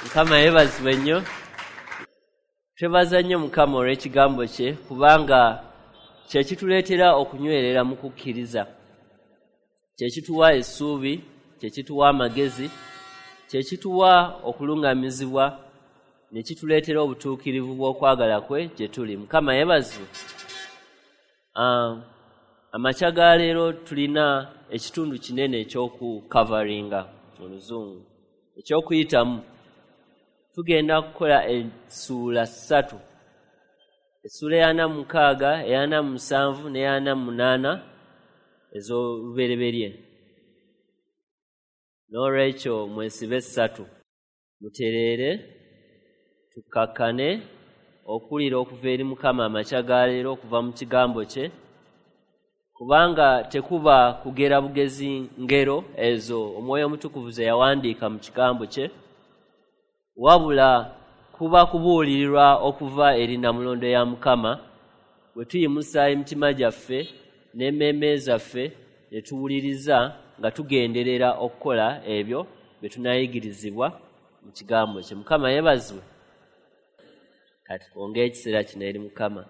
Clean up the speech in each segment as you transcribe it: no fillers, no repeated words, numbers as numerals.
Mukama yeebazibwe nnyo. Twebaza nnyo Mukama olw'ekigambo kye, kubanga kye kituleetera okunywerera mu kukkiriza, kye kituwa essuubi, kye kituwa amagezi, kye kituwa okuluŋŋamizibwa, ne kituleetera obutuukirivu bw'okwagala kwe gye tuli. Mukama yeebazibwe. Amakya ga leero tulina ekitundu kinene eky'okukavaringa mu Luzungu, eky'okuyitamu. Tugenda kukola essuula 3, essuula 46, 47 ne 48 ez'olubereberye. N'olwekyo mwesibe 3, mutereere, tukkakkane okuwulira okuva eri Mukama amakya ga leero okuva mu kigambo kye, kubanga tekuba kugera bugezi ngero ezo Omwoyo Omutukuvu ze yawandiika mu kigambo kye, wabula kuba kubuulirirwa okuva eri nnamulondo ya Mukama, bwe tuyimusa emitima gyaffe n'emmeeme zaffe ne tuwuliriza nga tugenderera okukola ebyo bye tunaayigirizibwa mu kigambo kye. Mukama yeebazibwe. Kati twongere ekiseera kino eri Mukama.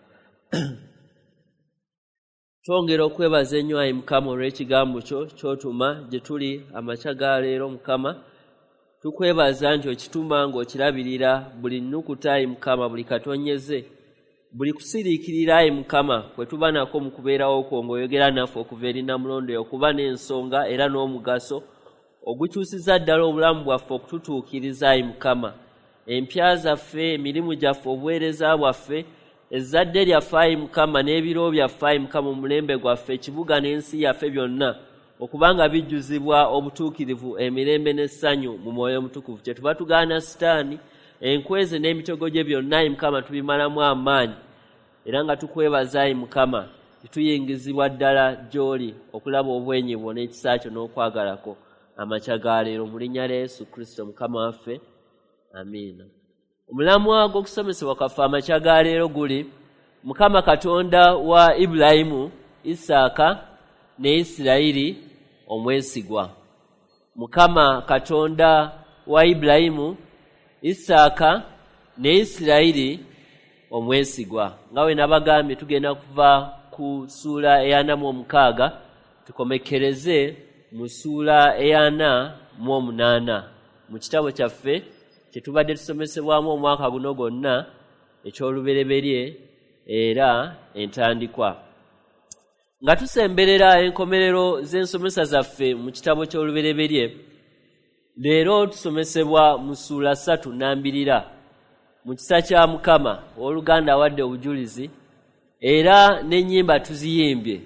Twongera okwebaza ennyo ayi Mukama olw'ekigambo kyo ky'otuma gye tuli amakya ga leero. Mukama, tukwebaza nti okituma ng'okirabirira buli nnukuta ayi Mukama, buli katonyeze, buli kusiriikirira ayi Mukama kwe tuba nako mu kubeerawo kwo ng'oyogera naffe okuva eri nnamulondo yo, okuba n'ensonga era n'omugaso ogukyusiza ddala obulamu bwaffe okututuukiriza ayi Mukama. Empya zaffe, emirimu gyaffe, obuweereza bwaffe, ezzadde lyaffe ayi Mukama, n'ebiro byaffe ayi Mukama, omulembe gwaffe, ekibuga n'ensi yaffe byonna okubanga bijjuzibwa obutuukirivu, emirembe n'essanyu mu Mwoyo Omutukuvu. Kye tuba tugaana Sitaani, enkweze n'emitego gye byonna ayi Mukama tubimalamu amaanyi, era nga tukwebaza ayi Mukama, tuyingizibwa ddala gy'oli okulaba obwenyi bwo n'ekisa kyo n'okwagalako amakya ga leero, mu linnya lya Yesu Kristo Mukama waffe, amiina. Omulamwa gw'okusomesebwa kwaffe amakya ga leero guli Mukama Katonda wa Ibulayimu, Isaaka ne Isirayiri omwesigwa. Mukama Katonda wa Ibulayimu, Isaaka ne Isirayiri omwesigwa. Nga bwe nabagambye, tugenda kuva ku ssuula 46 tukomekkereze mu ssuula 48 mu kitabo kyaffe kye tubadde tusomesebwamu omwaka guno gwonna eky'olubereberye era entandikwa. Nga tusemberera enkomerero z'ensomesa zaffe mu kitabo ky'olubereberye, leero tusomesebwa mu ssuula 3 nnambirira mu kisa kya Mukama. Owooluganda awadde obujulizi era n'ennyimba tuziyimbye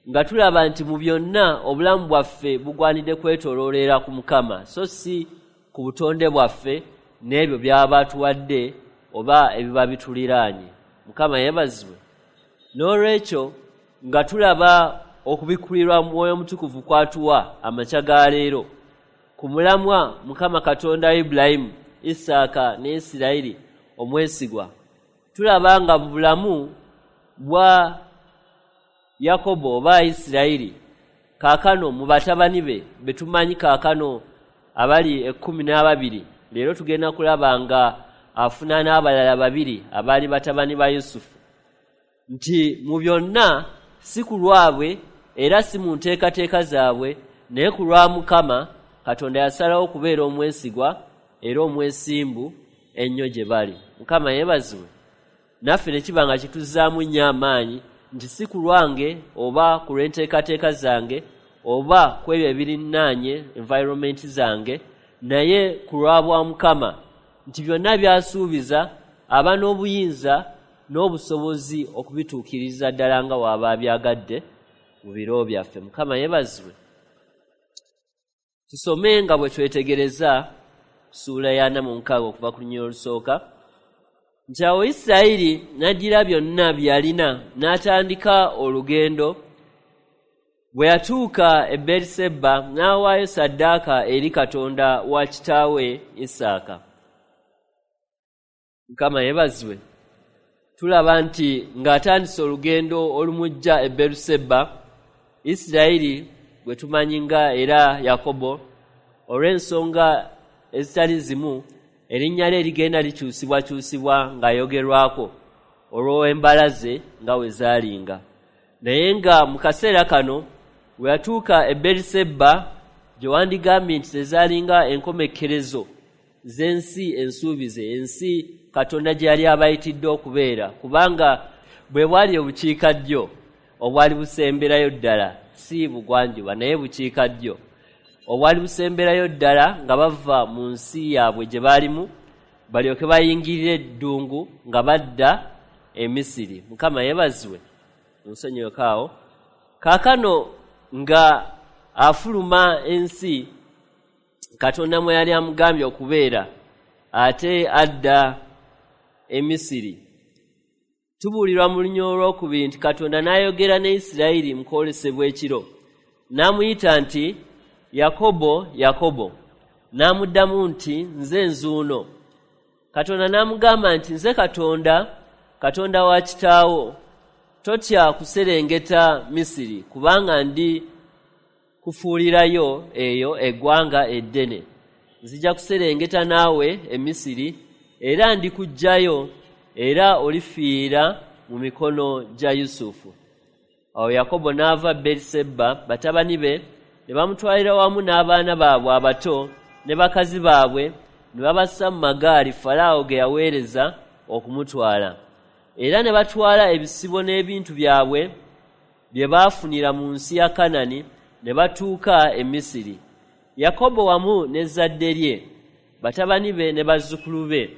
nga tulaba nti mu byonna obulamu bwaffe bugwanidde kwetooloolera ku Mukama, so si ku butonde bwaffe n'ebyo by'aba atuwadde oba ebiba bituliraanye. Mukama yeebazibwe. N'olwekyo nga tulaba okubikkulirwa Mwoyo Omutukuvu kw'atuwa amakya ga leero ku mulamwa Mukama Katonda wa Ibulayimu, Isaaka ne Isirayiri omwesigwa, tulaba nga mu bulamu bwa Yakobo oba Isirayiri kaakano mu batabani be be tumanyi kaakano abali 12, leero tugenda kulaba nga afuna n'abalala 2 abaali batabani ba Yusufu, nti mu byonna si ku lwabwe era si mu nteekateeka zaabwe, naye ku lwa Mukama Katonda yasalawo okubeera omwesigwa era omwesimbu ennyo gye bali. Mukama yeebazibwe. Naffe ne kiba nga kituzzaamu nnyo amaanyi nti si ku lwange oba ku lw'enteekateeka zange oba ku ebyo ebirinnaanye environment zange, naye ku lwa bwa Mukama, nti byonna by'asuubiza aba n'obuyinza n'obusobozi okubituukiriza ddala nga w'aba abyagadde mu biro byaffe. Mukama yeebazibwe. Tusome nga bwe twetegereza ssuula 46 okuva ku lunyiriri olusooka, nti awo Isirayiri n'addira byonna bye yalina n'atandika olugendo. Bwe yatuuka e Beeriseba n'awaayo ssaddaaka eri Katonda wa kitaawe Isaaka. Mukama yeebazibwe. Tulaba nti ng'atandise olugendo olumujja e Beeriseba, Isirayiri gwe tumanyi nga era Yakobo, olw'ensonga ezitali zimu Erinnya lye ligenda likyusibwakyusibwa ng'ayogerwako olw'embala ze nga we zaalinga. Naye nga mu kaseera kano we yatuuka e Beriseba, gye wandigambye nti tezaalinga enkomekkerezo z'ensi ensuubize, ensi Katonda gye yali abayitidde okubeera, kubanga bwe bwali obukiikaddyo obwali busemberayo ddala, si bugwanjuba naye bukiikaddyo obwali busemberayo ddala, nga bava mu nsi yaabwe gye baalimu balyoke bayingirire eddungu nga badda e Misiri. Mukama yeebazibwe. Nsonyiweko awo. Kaakano nga afuluma ensi Katonda mwe yali amugambye okubeera, ate adda e Misiri. Tubuulirwa mu lunyiriri olwokubiri nti Katonda n'ayogera ne Isirayiri mu kwolesebwa ekiro, n'amuyita nti, Yakobo, Yakobo. N'amuddamu nti, Nze nzuuno. Katonda n'amugamba nti, Nze Katonda, Katonda wa kitaawo. Totya kuserengeta Misiri, kubanga ndi kufuulirayo eyo eggwanga eddene. Nzija kuserengeta naawe e Misiri, era ndikuggyayo, era olifiira mu mikono gya Yusufu. Awo Yakobo n'ava Beriseba, batabani be ne bamutwalira wamu n'abaana baabwe abato ne bakazi baabwe, ne babassa mu magaali Falaawo ge yaweereza okumutwala. Era ne batwala ebisibo n'ebintu byabwe bye baafunira mu nsi ya Kanani, ne batuuka e Misiri. Yakobo wamu n'ezzadde lye, batabani be ne bazzukulu be,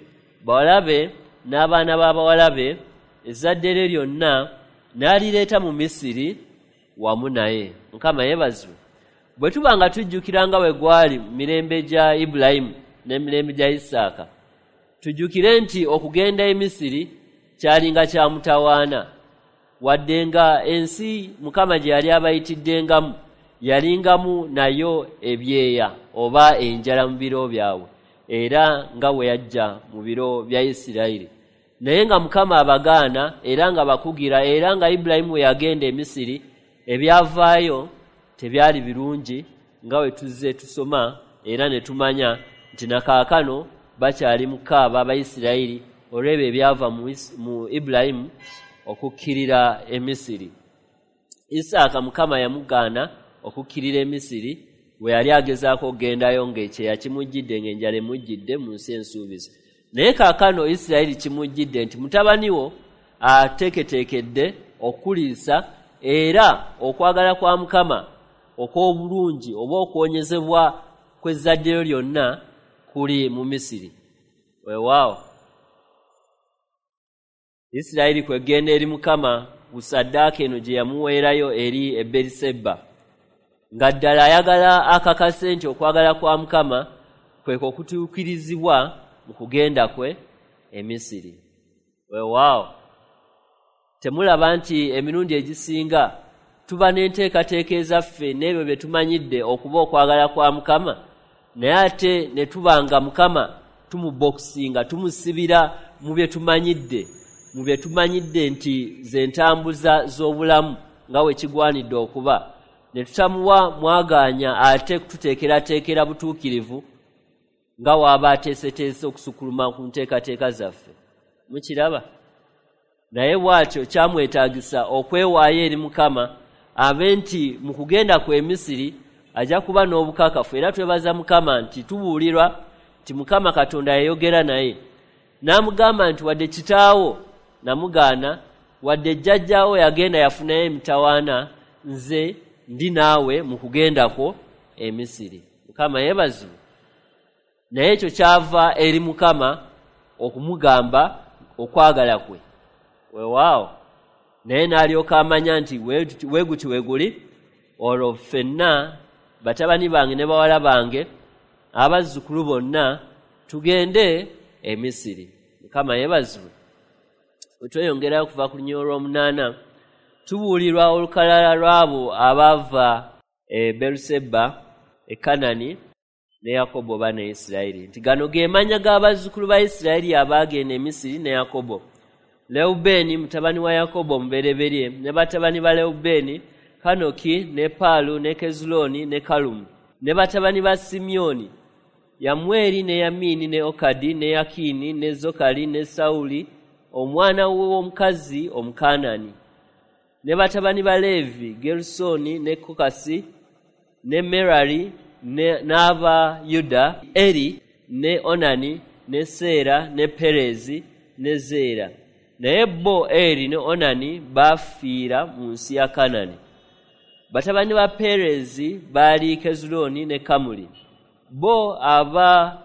bawala be n'abaana b'abawala be, ezzadde lye lyonna n'alireeta mu Misiri wamu naye. Mukama yeebazibwe. Bwe tuba nga tujjukira nga bwe gwali mu mirembe gya Ibulayimu n'emirembe gya Isaaka, tujjukire nti okugenda e Misiri kyalinga kya mutawaana. Wadde nga ensi Mukama gye yali abayitiddengamu yalingamu nayo ebyeya oba enjala mu biro byabwe, era nga bwe yajja mu biro bya Isirayiri. Naye nga Mukama abagaana era nga bakugira, era nga Ibulayimu bwe yagenda e Misiri, ebyavaayo tebyali birungi nga bwe tuzze tusoma era ne tumanya nti na kaakano bakyali mu kukaaba Abayisirayiri olw'ebyo ebyava mu Ibulayimu okukkirira e Misiri. Isaaka Mukama yamugaana okukkirira e Misiri bwe yali agezaako okugendayo ng'ekyeya kimujjidde, ng'enjala emujjidde mu nsi ensuubize. Naye kaakano Isirayiri kimujjidde nti mutabani wo ateeketeekedde okukuliisa, era okwagala kwa Mukama okw'obulungi oba okuwonyezebwa kw'ezzadde lyo lyonna kuli mu Misiri. Weewaawo Isirayiri kwegenda eri Mukama ku ssaddaaka eno gye yamuweerayo eri e Beriseba, nga ddala ayagala akakase nti okwagala kwa Mukama kwe okutuukirizibwa mu kugenda kwe e Misiri. Weewaawo temulaba nti emirundi egisinga tuba n'enteekateeka ezaffe n'ebyo bye tumanyidde okuba okwagala kwa Mukama, naye ate ne tuba nga Mukama tumubokisinga, tumusibira mu bye tumanyidde, mu bye tumanyidde nti ze ntambuza z'obulamu nga bwe kigwanidde okuba, ne tutamuwa mwagaanya ate kututeekerateekera butuukirivu nga w'aba ateeseteese okusukkuluma ku nteekateeka zaffe. Mukiraba? Naye bw'atyo kyamwetaagisa okwewaayo eri Mukama, abe nti mu kugenda kwe Misiri ajja kuba n'obukakafu. Era twebaza Mukama nti tubuulirwa nti Mukama Katonda yayogera naye n'amugamba nti wadde kitaawo namugaana, wadde jjajjaawo yagenda yafunayo emitawaana, nze ndi naawe mu kugenda kwo e Misiri. Mukama yeebazibwe. Naye ekyo kyava eri Mukama okumugamba okwagala kwe. Weewaawo naye n'alyoka amanya nti weeguti weeguli, olwo ffenna batabani bange ne bawala bange abazzukulu bonna tugende e Misiri. Mukama yeebazibwe. Bwe tweyongerayo okuva ku lunyiriri olw'omunaana, tubuulirwa olukalala lw'abo abaava e Beruseba e Kanani ne Yakobo oba ne Isirayiri, nti gano ge mannya g'abazzukulu ba Isirayiri abaagenda e Misiri ne Yakobo: Lewubeeni mutabani wa Yakobo omubereberye, ne batabani ba Lewubeeni, Kanoki ne Paalu ne Kezulooni ne Kalumu, ne batabani ba Simyoni, Yamweri ne Yamini ne Okadi ne Yakini ne Zokali ne Sawuli, omwana w'omukazi Omukanani. Ne batabani ba Leevi, Gerusoni ne Kokasi ne Merari, n'aba Yuda, Eri ne Onani ne Seera ne Perezi ne Zeera. Naye bo Eri ne Onani baafiira mu nsi ya Kanani. Batabani ba Perezi baali Kezuloni ne Kamuli. Bo aba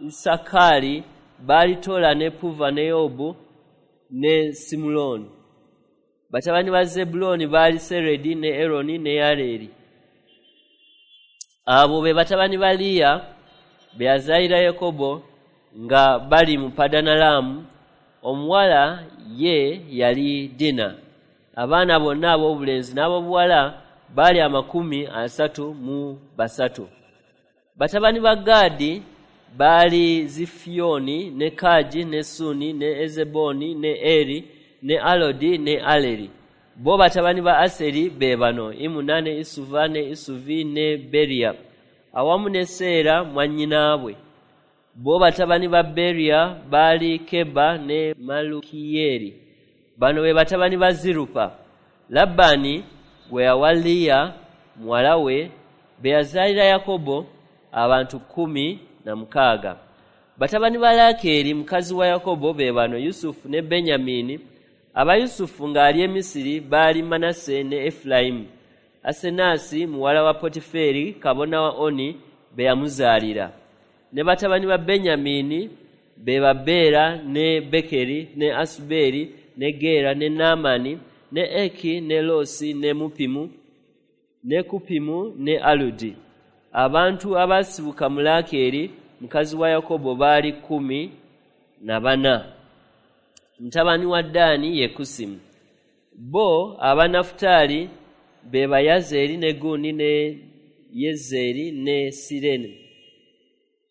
Isakari baali Tola ne Puva ne Yobu ne Simuloni. Batabani ba Zebuloni baali Seredi ne Eroni ne Yareri. Abo be batabani ba Liya be yazaalira Yakobo nga bali mu Padanalaamu. Omuwala ye yali Dina. Abaana bonna ab'obulenzi n'ab'obuwala baali 33. Batabani ba Gaadi baali Zifiyoni ne Kaji ne Suni ne Ezeboni ne Eri ne Alodi ne Aleri. Bo batabani ba Aseri be bano: Imuna ne Isuva ne Isuvi ne Beria, awamu ne Seera mwannyinaabwe. Bo batabani ba Beria baali Keba ne Malukiyeri. Bano be batabani ba Zirupa, Labani gwe yawa Liya muwala we, be yazaalira Yakobo abantu 16. Batabani ba Lakeeri mukazi wa Yakobo be bano: Yusufu ne Benyamini. Aba Yusufu ng'ali e Misiri baali Manase ne Efulayimu. Asenasi muwala wa Potiferi kabona wa Oni be yamuzaalira. Ne batabani ba Benyamini be ba Bera ne Bekeri ne Asuberi ne Gera ne Naamani ne Eki ne Losi ne Mupimu ne Kupimu ne Aludi. Abantu abasibuka mu Lakeeri mukazi wa Yakobo baali 14. Mutabani wa Ddaani ye Kusimu. Bo aba Nafutaali be ba Yazeri ne Guni ne Yezeri ne Sirene.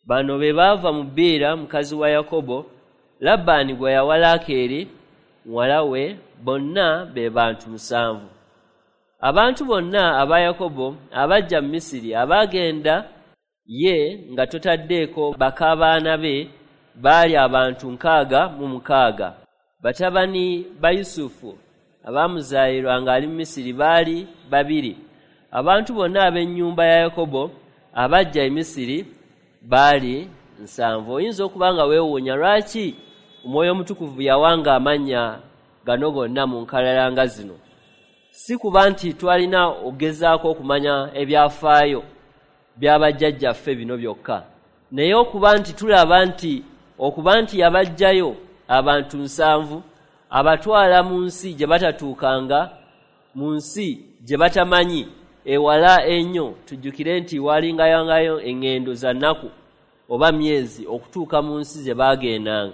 Bano be baava mu Biira mukazi wa Yakobo, Labbaani gwe yawa Lakeeri muwala we, bonna be bantu 7. Abantu bonna aba Yakobo abajja mu Misiri abaagenda ye nga totaddeeko bakabaana be baali abantu 66. Batabani ba Yusufu abaamuzaalirwa ng'ali mu Misiri baali 2. Abantu bonna ab'ennyumba ya Yakobo abajja e Misiri baali 7. Oyinza okuba nga weewuunya lwaki Omwoyo Omutukuvu yawanga amannya gano gonna mu nkalala nga zino. Si kuba nti twalina ogezaako okumanya ebyafaayo by'abajjajjaffe bino byokka, naye okuba nti tulaba nti okuba nti yabaggyayo abantu 7 abatwala mu nsi gye batatuukanga, mu nsi gye batamanyi, ewala ennyo. Tujjukire nti walingayangayo eŋŋendo za nnaku oba myezi okutuuka mu nsi gye baagendanga,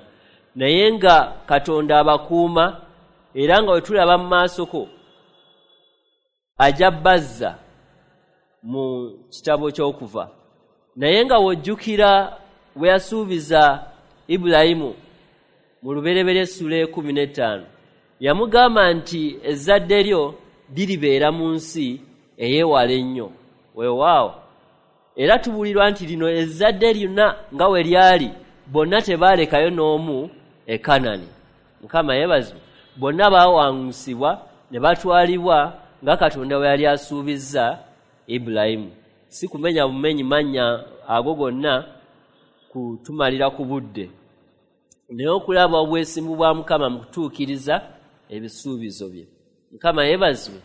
naye nga Katonda abakuuma, era nga we tulaba mu maasoko ajja bazza mu kitabo ky'okuva. Naye nga wojjukira we yasuubiza Ibulayimu mu Lubereberye essula 15, yamugamba nti ezzadde lyo liribeera mu nsi eyeewala ennyo. Weewaawo, era tubuulirwa nti lino ezzadde lyonna nga we lyali, bonna tebaalekayo n'omu e Kanani. Mukama yeebazibwe. Bonna baawangusibwa ne batwalibwa nga Katonda bwe yali asuubizza Ibulayimu. Si kumenya bumenyi mannya ago gonna kutumalira ku budde, naye okulaba obwesimbu bwa Mukama mu kutuukiriza ebisuubizo bye. Mukama yeebazibwe.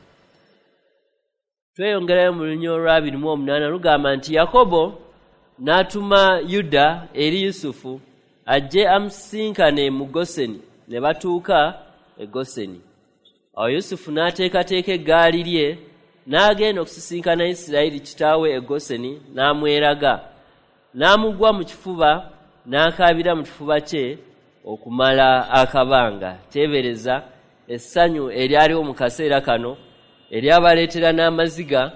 Tweyongerayo mu lunyiriri olwa 28 lugamba nti Yakobo n'atuma Yuda eri Yusufu ajje amusisinkane mu Goseni, ne batuuka e Goseni. Awo Yusufu n'ateekateeka eggaali lye n'agenda okusisinkana Isirayiri kitaawe e Goseni, n'amweraga, n'amugwa mu kifuba, n'akaabira mu kifuba kye okumala akabanga. Teebereza essanyu eryaliwo mu kaseera kano eryabaleetera n'amaziga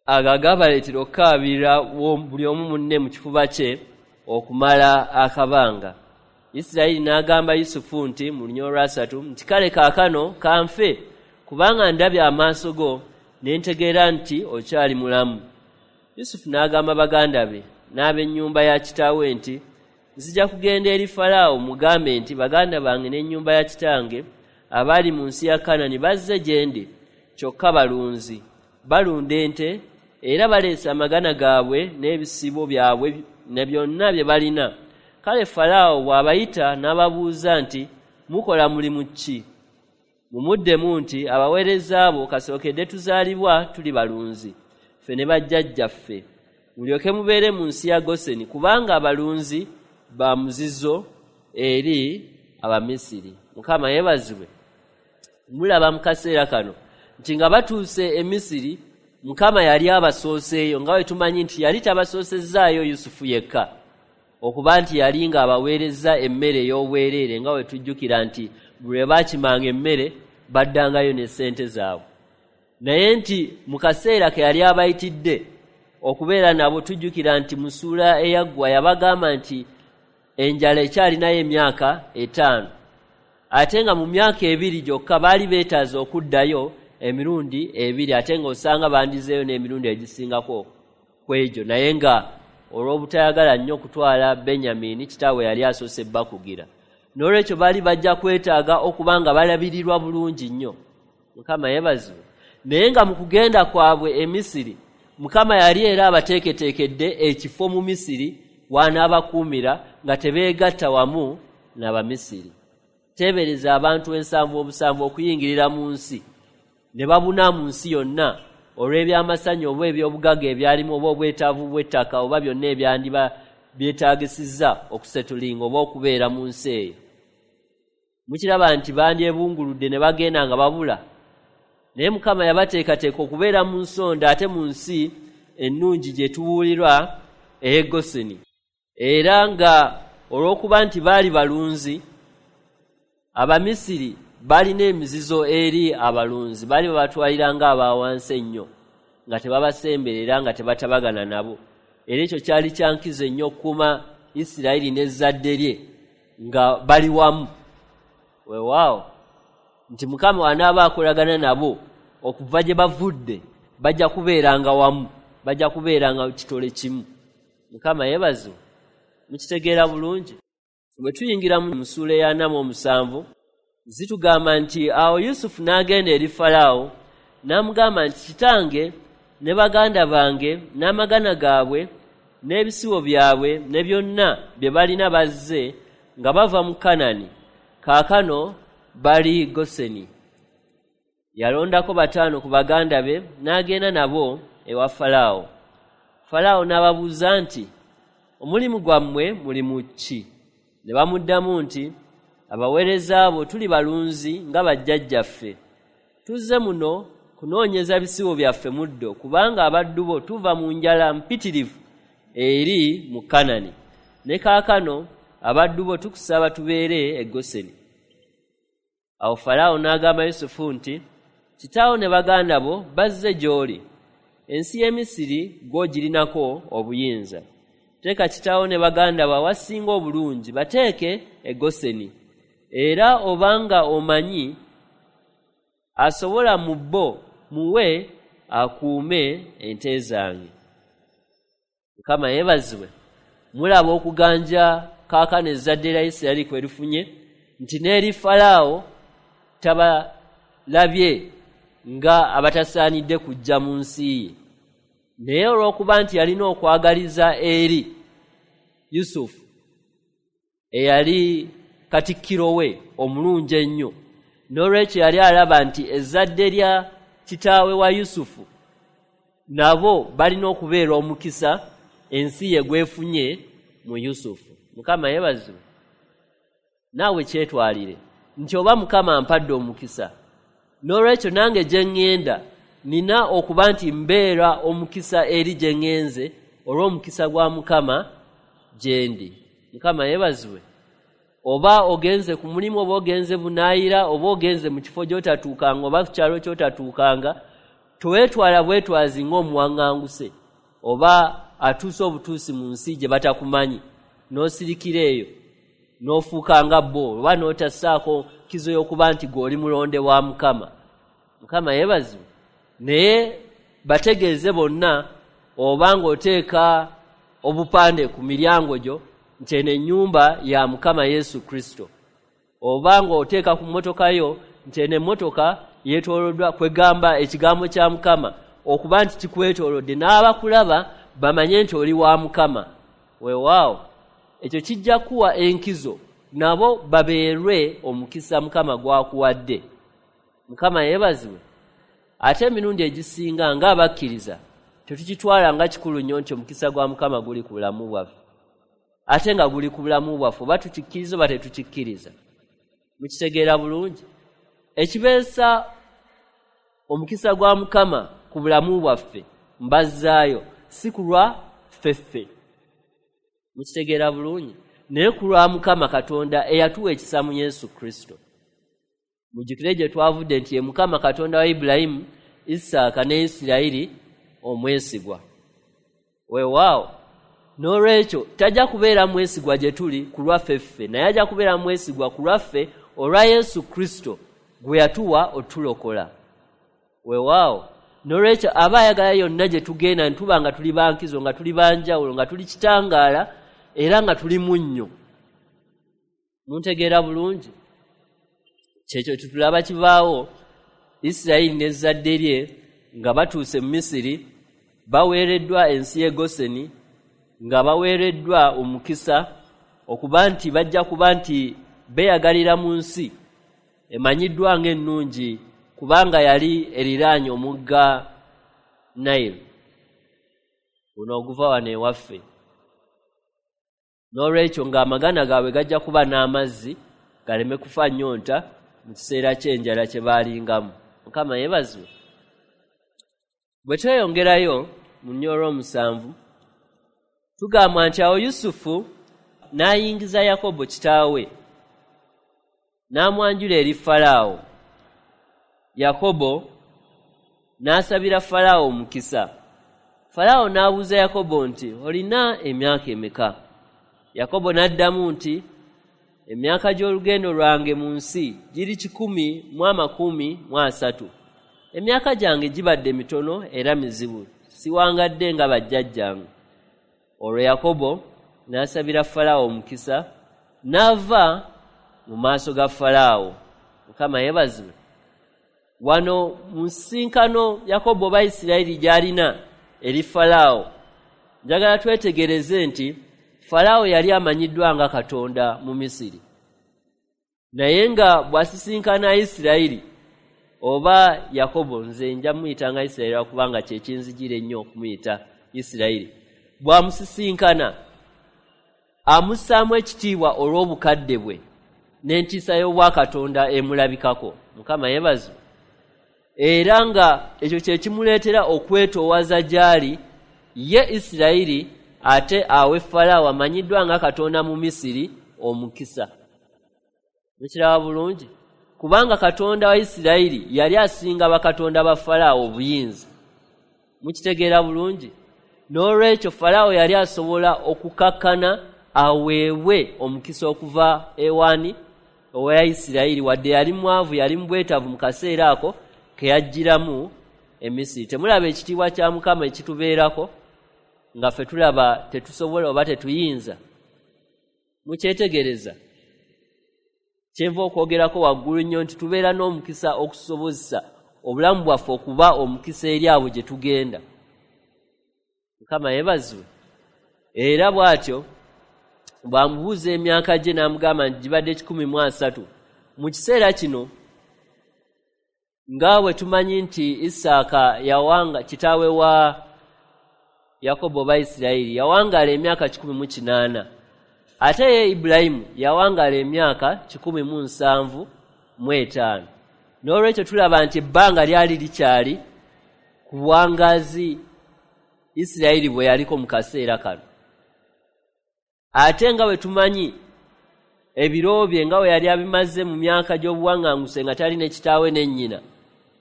ago agabaleetera okukaabira buli omu munne mu kifuba kye okumala akabanga. Isirayiri n'agamba Yusufu nti mu lunyiriri olwa 3 nti kale kaakano kanfe, kubanga ndabye amaaso go ne ntegeera nti okyali mulamu. Yusufu n'agamba baganda be n'ab'ennyumba ya kitaawe nti, nzija kugenda eri Falaawo mugambe nti, baganda bange n'ennyumba ya kitange abali mu nsi ya Kanani bazze gye ndi, kyokka balunzi, balunda ente, era baleese amagana gaabwe n'ebisibo byabwe ne byonna bye balina. Kale Falaawo bw'abayita n'ababuuza nti, mukola mulimu ki? Mumuddemu nti, abaweereza bo kasookedde tuzaalibwa tuli balunzi, ffe ne bajjajjaffe. Mulyoke mubeere mu nsi ya Goseni, kubanga abalunzi ba muzizo eri Abamisiri. Mukama yeebazibwe. Mulaba mu kaseera kano nti nga batuuse e Misiri, Mukama yali abasooseeyo, nga bwe tumanyi nti yali tabasoosezaayo Yusufu yekka, okuba nti yali ng'abaweereza emmere ey'obwereere, nga bwe tujjukira nti bwe baakimanga emmere baddangayo ne ssente zaabwe. Naye nti mu kaseera ke yali abayitidde okubeera nabo, tujjukira nti mu ssuula eyaggwa yabagamba nti enjala ekyalinayo emyaka 5, ate nga mu myaka 2 gyokka baali beetaaze okuddayo emirundi 2, ate ng'osanga bandizeeyo n'emirundi egisingako ku egyo, naye nga olw'obutayagala nnyo okutwala Benyamini kitaawe yali asoose bakugira. N'olwekyo baali bajja kwetaaga okuba nga balabirirwa bulungi nnyo. Mukama yeebazibwe. Naye nga mu kugenda kwabwe e Misiri, Mukama yali era abateeketeekedde ekifo mu Misiri w'anaabakuumira nga tebeegatta wamu n'Abamisiri. Teebereza abantu 77 okuyingirira mu nsi ne babuna mu nsi yonna olw'ebyamasanyu oba eby'obugagga ebyalimu oba obwetaavu bw'ettaka oba byonna ebyandiba byetaagisizza okusetulinga oba okubeera mu nsi eyo. Mukiraba nti bandyebunguludde ne bagenda nga babula. Naye Mukama yabateekateeka okubeera mu nsonda ate mu nsi ennungi gye tuwulirwa ey'e Goseni. Era nga olw'okuba nti baali balunzi, Abamisiri balina emizizo eri abalunzi, baali babatwalira ng'abawansi ennyo, nga tebabasemberera, nga tebatabagana nabo. Era ekyo kyali kya nkizo ennyo okukuuma Isirayiri n'ezzadde lye nga bali wamu. Weewaawo nti Mukama anaaba akolagana nabo okuva gye bavudde, bajja kubeeranga wamu, bajja kubeeranga kitole kimu. Mukama yeebazibwe. Mukitegeera bulungi. Bwe tuyingira mu ssuula eya 47, zitugamba nti awo Yusufu n'agenda eri Falaawo n'amugamba nti, kitange ne baganda bange n'amagana gaabwe n'ebisibo byabwe ne byonna bye balina bazze nga bava mu Kanani, kaakano bali Goseni. Yalondako 5 ku baganda be n'agenda nabo ewa Falaawo. Falaawo n'ababuuza nti, omulimu gwammwe mulimu ki? Ne bamuddamu nti, abaweereza bo tuli balunzi nga bajjajjaffe. Tuzze muno kunoonyeza bisibo byaffe muddo, kubanga abaddu bo tuva mu njala mpitirivu eri mu Kanani. Ne kaakano abaddu bo tukusaba tubeere e Goseni. Awo Falaawo n'agamba Yusufu nti, kitaawo ne baganda bo bazze gy'oli. Ensi y'e Misiri gw'ogirinako obuyinza. Teeka kitaawo ne baganda bo awasinga obulungi, bateeke e Goseni. Era obanga omanyi asobola mu bo, muwe akuume ente zange. Mukama yeebazibwe. Mulaba okuganja kaakano ezzadde lya Isirayiri kwe lifunye, nti n'eri Falaawo tabalabye nga abatasaanidde kujja mu nsi ye. Naye olw'okuba nti yalina okwagaliza eri Yusufu eyali katikkiro we omulungi ennyo, n'olwekyo yali alaba nti ezzadde lya kitaawe wa Yusufu nabo balina okubeera omukisa ensi ye gwefunye mu Yusufu. Mukama yeebazibwe. Naawe kyetwalire nti oba Mukama ampadde omukisa, n'olwekyo nange gye ŋŋenda nina okuba nti mbeera omukisa eri gye ŋŋenze olw'omukisa gwa Mukama gye ndi. Mukama yeebazibwe. Oba ogenze ku mulimu, oba ogenze bunaayira, oba ogenze mu kifo gy'otatuukanga, oba ku kyalo ky'otatuukanga, toweetwala bwetwazi ng'omuwaŋŋanguse oba atuuse obutuusi mu nsi gye batakumanyi, n'osirikira eyo n'ofuuka nga bo, oba n'otassaako nkizo y'okuba nti gw'oli mulonde wa Mukama. Mukama yeebazibwe. Naye bategeeze bonna, oba ng'oteeka obupande ku miryango gyo nti eno ennyumba ya Mukama Yesu Kristo, oba ng'oteeka ku mmotoka yo nti eno emmotoka yeetooloddwa, kwegamba ekigambo kya Mukama okuba nti kikwetoolodde, n'abakulaba bamanye nti oli wa Mukama. Weewaawo ekyo kijja kuwa enkizo, nabo babeerwe omukisa Mukama gw'akuwadde. Mukama yeebazibwe. Ate emirundi egisinga ng'abakkiriza tetukitwala nga kikulu nnyo nti omukisa gwa Mukama guli ku bulamu bwaffe, ate nga guli ku bulamu bwaffe oba tukikkiriza oba tetukikkiriza. Mukitegeera bulungi? Ekibeesa omukisa gwa Mukama ku bulamu bwaffe mbazzaayo si ku lwa ffeffe. Mukitegeera bulungi? Naye ku lwa Mukama Katonda eyatuwa ekisa mu Yesu Kristo. Mujjukire gye twavudde nti ye Mukama Katonda wa Ibulayimu, Isaaka ne Isirayiri omwesigwa. Weewaawo n'olwekyo tajja kubeera mwesigwa gye tuli ku lwaffe ffe, naye ajja kubeera mwesigwa ku lwaffe olwa Yesu Kristo gwe yatuwa otulokola. Weewaawo n'olwekyo aba ayagala yonna gye tugenda ne tuba nga tuli bankizo, nga tuli banjawulo, nga tuli kitangaala era nga tuli munnyo. Muntegeera bulungi? Kyekyo tutulaba kibaawo Isirayiri n'ezzadde lye nga batuuse mu Misiri, baweereddwa ensi y'e Goseni, nga baweereddwa omukisa okuba nti bajja kuba nti beeyagalira mu nsi emanyiddwa ng'ennungi, kubanga yali eriraanye omugga Nile guno oguva wano ewaffe. N'olwekyo ng'amagana gaabwe gajja kuba n'amazzi galeme kufa nnyonta mu kiseera ky'enjala kye baalingamu. Mukama yeebazibwe. Bwe tweyongerayo mu nnyolo 7, tugambwa nti awo Yusufu n'ayingiza Yakobo kitaawe n'amwanjula eri Falaawo. Yakobo n'asabira Falaawo omukisa. Falaawo n'abuuza Yakobo nti, olina emyaka emeka? Yakobo n'addamu nti, emyaka gy'olugendo lwange mu nsi giri 130. Emyaka gyange gibadde mitono era mizibu, siwangadde nga bajjajjange. Olwo Yakobo n'asabira Falaawo omukisa, n'ava mu maaso ga Falaawo. Mukama yeebazibwe. Wano mu nsisinkano Yakobo oba Isirayiri gy'alina eri Falaawo, njagala twetegereze nti Falaawo yali amanyiddwa nga Katonda mu Misiri, naye nga bw'asisinkana Isirayiri oba Yakobo, nze nja muyitanga Isirayiri kubanga kye kinzijira ennyo okumuyita Isirayiri, bw'amusisinkana amussaamu ekitiibwa olw'obukadde bwe n'entiisa y'obwakatonda emulabikako. Mukama yeebazibwe. Era nga ekyo kye kimuleetera okwetoowaza gy'ali ye Isirayiri, ate awe Falaawo amanyiddwa nga Katonda mu Misiri omukisa. Mukiraba bulungi? Kubanga Katonda wa Isirayiri yali asinga bakatonda ba Falaawo obuyinza. Mukitegeera bulungi? N'olwekyo Falaawo yali asobola okukakkana aweebwe omukisa okuva ewaani owa Isirayiri, wadde yali mwavu, yali mu bwetaavu mu kaseera ako ke yajjiramu e Misiri. Temulaba ekitiibwa kya Mukama ekitubeerako nga ffe tulaba tetusobola oba tetuyinza? Mukyetegereza? Kyenva okwogerako waggulu nnyo nti tubeera n'omukisa okusobozesa obulamu bwaffe okuba omukisa eri abo gye tugenda. Mukama yeebazibwe. Era bw'atyo bw'amubuuza emyaka gye n'amugamba nti gibadde 130. Mu kiseera kino nga bwe tumanyi nti Isaaka yawanga, kitaawe wa Yakobo oba Isirayiri, yawangaala emyaka 108, ate ye Ibulayimu yawangaala emyaka 175. N'olwekyo tulaba nti ebbanga lyali likyali ku buwangaazi Isirayiri bwe yaliko mu kaseera kano. Ate nga bwe tumanyi ebiro bye nga bwe yali abimaze mu myaka gy'obuwanganguse nga talina kitaawe ne nnyina,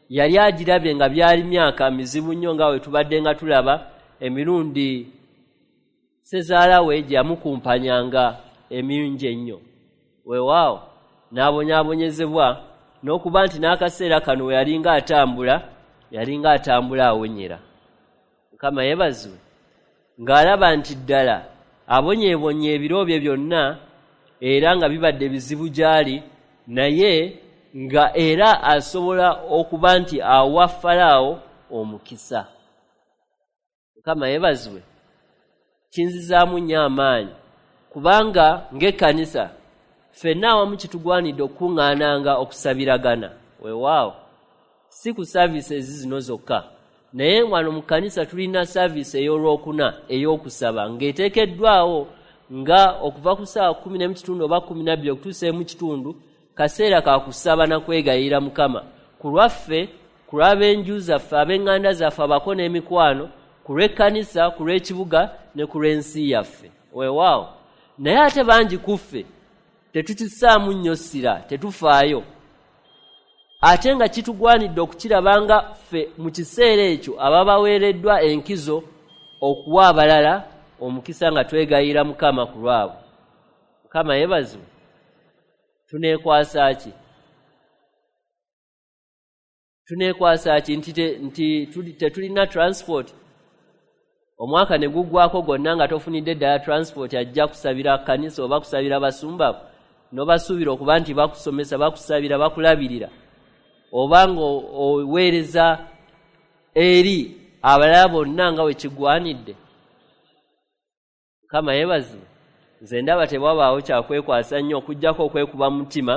yali agirabye nga byali myaka mizibu nnyo, nga bwe tubadde nga tulaba emirundi ssezaala we gye yamukumpanyanga emingi ennyo. Weewaawo n'abonyaabonyezebwa n'okuba nti n'akaseera kano we yalinga atambula, yalinga atambula awonyera. Mukama yeebazibwe. Ng'alaba nti ddala abonyeebonye ebiro bye byonna era nga bibadde bizibu gy'ali, naye nga era asobola okuba nti awa Falaawo omukisa. Mukama yeebazibwe. Kinzizaamu nnyo amaanyi, kubanga ng'ekkanisa ffenna awamu kitugwanidde okukuŋŋaananga okusabiragana. Weewaawo, si ku services zino zokka, naye wano mu kkanisa tulina service ey'olwokuna ey'okusaba ng'eteekeddwawo nga okuva ku ssaawa 10:15 oba 12 okutuusa 1:15, kaseera ka kusaba na kwegayirira Mukama ku lwaffe, ku lw'ab'enju zaffe, ab'eŋŋanda zaffe, abako n'emikwano, ku lw'ekkanisa, ku lw'ekibuga ne ku lw'ensi yaffe. Weewaawo, naye ate bangi ku ffe tetukissaamu nnyo ssira, tetufaayo, ate nga kitugwanidde okukiraba nga ffe mu kiseera ekyo ababaweereddwa enkizo okuwa abalala omukisa nga twegayirira Mukama ku lwabwe. Mukama yeebazibwe. Tuneekwasa ki? Tuneekwasa ki nti tetulina transport? Omwaka ne guggwako gwonna nga tofunidde ddala transport ajja kusabira kkanisa oba kusabira basumba, n'obasuubira okuba nti bakusomesa, bakusabira, bakulabirira, oba ng'oweereza eri abalala bonna nga bwe kigwanidde. Mukama yeebazibwe. Nze ndaba tewabaawo kyakwekwasa nnyo okuggyako okwekuba mutima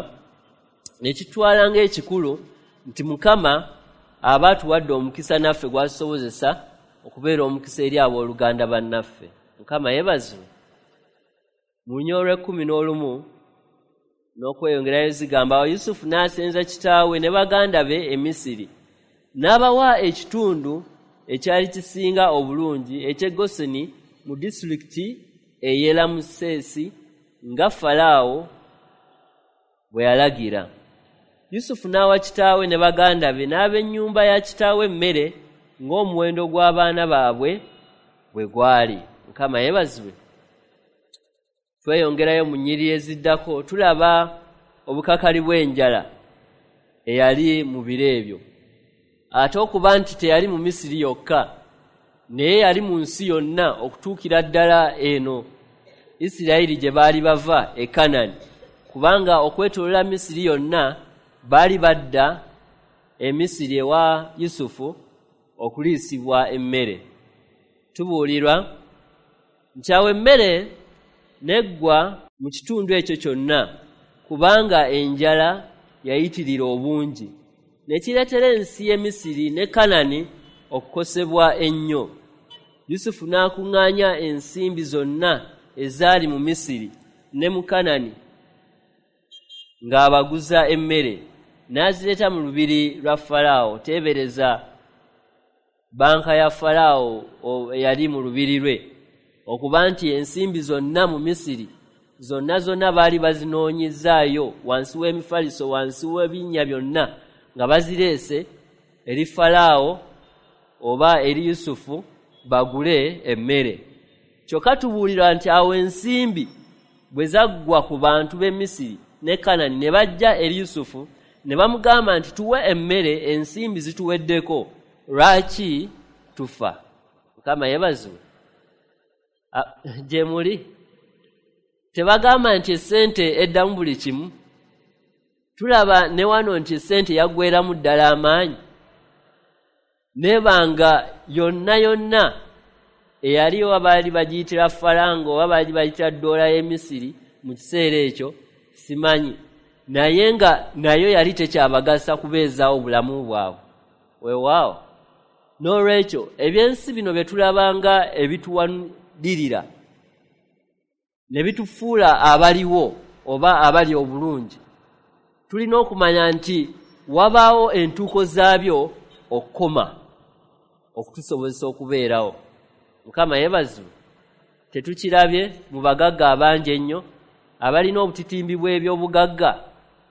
ne kitwala ng'ekikulu nti Mukama aba atuwadde omukisa naffe gw'atusobozesa okubeera omukisa eri abooluganda bannaffe. Mukama yeebazibwe. Mu lunyiriri olw'ekkumi n'olumu n'okweyongerayo zigamba, awo Yusufu n'asenza kitaawe ne baganda be e Misiri, n'abawa ekitundu ekyali kisinga obulungi eky'e Goseni mu disitulikiti ey'e Lamuseesi nga Falaawo bwe yalagira. Yusufu n'awa kitaawe ne baganda be n'ab'ennyumba ya kitaawe emmere ng'omuwendo gw'abaana baabwe bwe gwali. Mukama yeebazibwe. Tweyongerayo mu nnyiriri eziddako, tulaba obukakali bw'enjala eyali mu biro ebyo. Ate okuba nti teyali mu Misiri yokka, naye yali mu nsi yonna okutuukira ddala eno Isirayiri gye baali bava e Kanani, kubanga okwetooloola Misiri yonna baali badda e Misiri ewa Yusufu okuliisibwa emmere. Tubuulirwa nti awo emmere n'eggwa mu kitundu ekyo kyonna, kubanga enjala yayitirira obungi, ne kireetera ensi y'e Misiri ne Kanani okukosebwa ennyo. Yusufu n'akuŋŋaanya ensimbi zonna ezaali mu Misiri ne mu Kanani ng'abaguza emmere, n'azireeta mu lubiri lwa Falaawo. Teebereza banka ya Falaawo eyali mu lubiri lwe, okuba nti ensimbi zonna mu Misiri zonna zonna baali bazinoonyezaayo wansi w'emifaliso, wansi w'ebinnya byonna, nga bazireese eri Falaawo oba eri Yusufu bagule emmere. Kyokka tubuulirwa nti awo ensimbi bwe zaggwa ku bantu b'e Misiri ne Kanani, ne bajja eri Yusufu ne bamugamba nti, tuwe emmere, ensimbi zituweddeko, lwaki tufa? Mukama yeebazibwe. Gye muli tebagamba nti essente eddamu buli kimu. Tulaba ne wano nti essente yaggweramu ddala amaanyi, nebanga yonna yonna eyali oba baali bagiyitira faranga oba baali bagiyitira ddoola y'e Misiri mu kiseera ekyo simanyi, naye nga nayo yali tekyabagasa kubeezaawo bulamu bwabwe. Weewaawo, n'olwekyo ebyensi bino bye tulabanga ebituwanirira ne bitufuula abaliwo oba abali obulungi, tulina okumanya nti wabaawo entuuko zaabyo okukoma okutusobozesa okubeerawo. Mukama yeebazibwe. Tetukirabye mu bagagga abangi ennyo abalina obutitimbi bw'ebyobugagga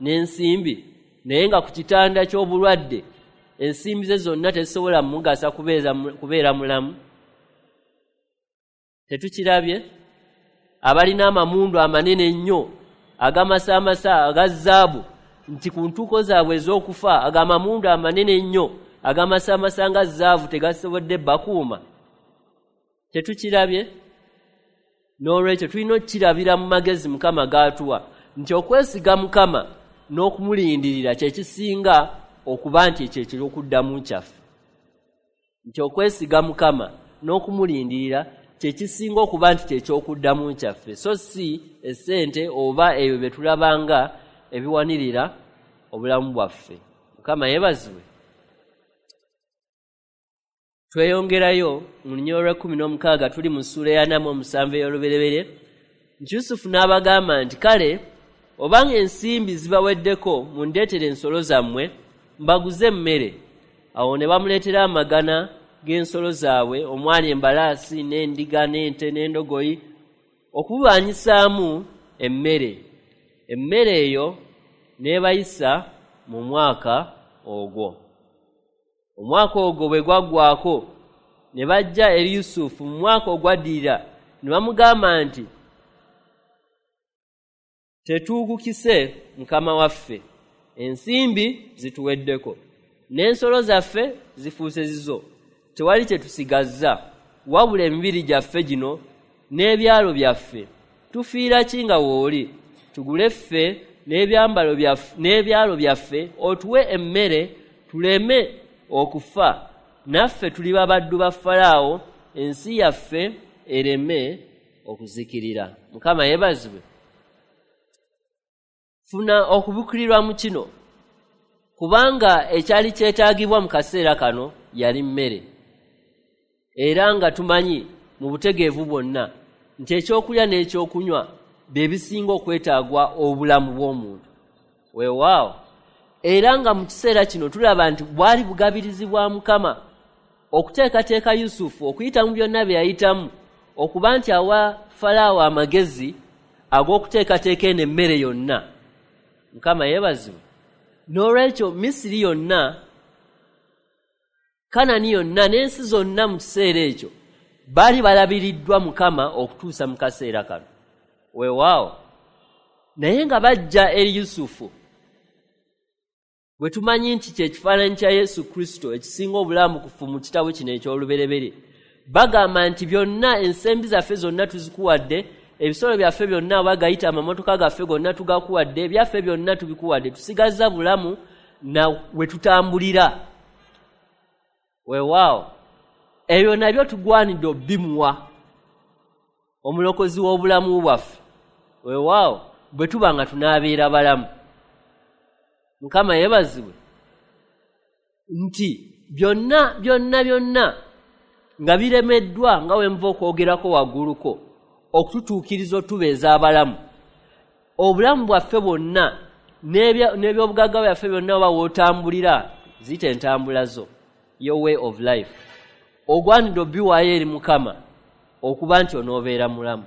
n'ensimbi, naye nga ku kitanda ky'obulwadde ensimbi ze zonna tezisobola mugasa kubeera mulamu. Tetukirabye abalina amamundu amanene ennyo agamasaamasa aga zaabu, nti ku ntuuko zaabwe ez'okufa ag'amamundu amanene ennyo agamasaamasa nga zaabu tegasobodde bakuuma. Tetukirabye? N'olwekyo tulina okukirabira mu magezi Mukama g'atuwa nti okwesiga Mukama n'okumulindirira kye kisinga okuba nti ekyo ekyokuddamu kyaffe. Nti okwesiga Mukama n'okumulindirira kye kisinga okuba nti kye kyokuddamu kyaffe, so si essente oba ebyo bye tulabanga ebiwanirira obulamu bwaffe. Mukama yeebazibwe. Tweyongerayo mu lunyiriri olw'ekumi n'omukaga, tuli mu ssuula eya 47 ey'Olubereberye, nti Yusufu n'abagamba nti, "Kale obanga ensimbi zibaweddeko, mundeetere ensolo zammwe mbaguze emmere." Awo ne bamuleetera amagana g'ensolo zaabwe omwali embalaasi n'endiga n'ente n'endogoyi okububanyisaamu emmere. Emmere eyo n'ebayisa mu mwaka ogwo. Omwaka ogwo bwe gwaggwako, ne bajja eri Yusufu mu mwaka ogwaddirira ne bamugamba nti, "Tetuukukise, mukama waffe. Ensimbi zituweddeko n'ensolo zaffe zifuuse zizo. Tewali kye tusigazza wabula emibiri gyaffe gino n'ebyalo byaffe. Tufiira ki nga w'oli? Tugule ffe n'ebyambalo byaffe n'ebyalo byaffe, otuwe emmere tuleme okufa, naffe tuliba baddu ba Falaawo, ensi yaffe ereme okuzikirira." Mukama yeebazibwe. Funa okubikkulirwa mu kino, kubanga ekyali kyetaagibwa mu kaseera kano yali mmere, era nga tumanyi mu butegeevu bwonna nti ekyokulya n'ekyokunywa bye bisinga okwetaagwa obulamu bw'omuntu. Weewaawo, era nga mu kiseera kino tulaba nti bwali bugabirizi bwa Mukama okuteekateeka Yusufu okuyita mu byonna bye yayitamu, okuba nti awa Falaawo amagezi ag'okuteekateeka eno emmere yonna. Mukama yeebazibwe. N'olwekyo Misiri yonna, Kanani yonna n'ensi zonna mu kiseera ekyo baali balabiriddwa Mukama okutuusa mu kaseera kano. Weewaawo, naye nga bajja eri Yusufu, bwe tumanyi nti kye kifaananyi kya Yesu Kristo ekisinga obulamukufu mu kitabo kino eky'Olubereberye, bagamba nti, "Byonna, ensimbi zaffe zonna tuzikuwadde, ebisolo byaffe byonna oba gayita amamotoka gaffe gonna tugakuwadde, ebyaffe byonna tubikuwadde, tusigazza bulamu na we tutambulira." Weewaawo, ebyo nabyo tugwanidde obbimuwa omulokozi w'obulamu bwaffe. Weewaawo, bwe tuba nga tunaabeera balamu. Mukama yeebazibwe nti byonna byonna byonna nga biremeddwa, nga we nva okwogerako wagguluko, okututuukiriza otubeeza abalamu, obulamu bwaffe bwonna n'ebyobugagga byaffe byonna, oba w'otambulira, ziyita entambula zo, your way of life, ogwanidde obiwaayo eri Mukama okuba nti onoobeera mulamu.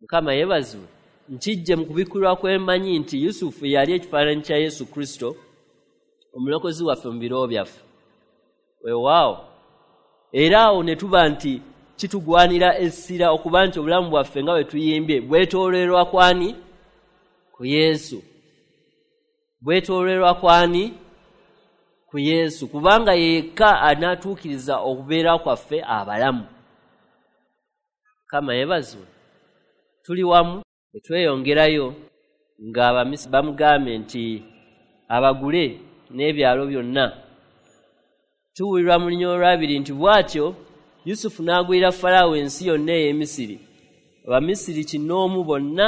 Mukama yeebazibwe. Nkijje mu kubikkulwa kwemanyi nti Yusufu yali ekifaananyi kya Yesu Kristo omulokozi waffe mu biro byaffe. Weewaawo, era awo ne tuba nti kitugwanira essira okuba nti obulamu bwaffe, nga bwe tuyimbye, bwetoolerwa kwani? Ku Yesu. Bwetoolerwa kwani? Ku Yesu, kubanga yekka anaatuukiriza okubeera kwaffe abalamu. Mukama yeebazibwe. Tuli wamu. Bwe tweyongerayo, ng'Abamisiri bamugambye nti abagule n'ebyalo byonna, tuwulirwa mu lunyiriri olwabiri nti, "Bw'atyo Yusufu n'agulira Falaawo ensi yonna ey'Emisiri. Abamisiri kinnoomu bonna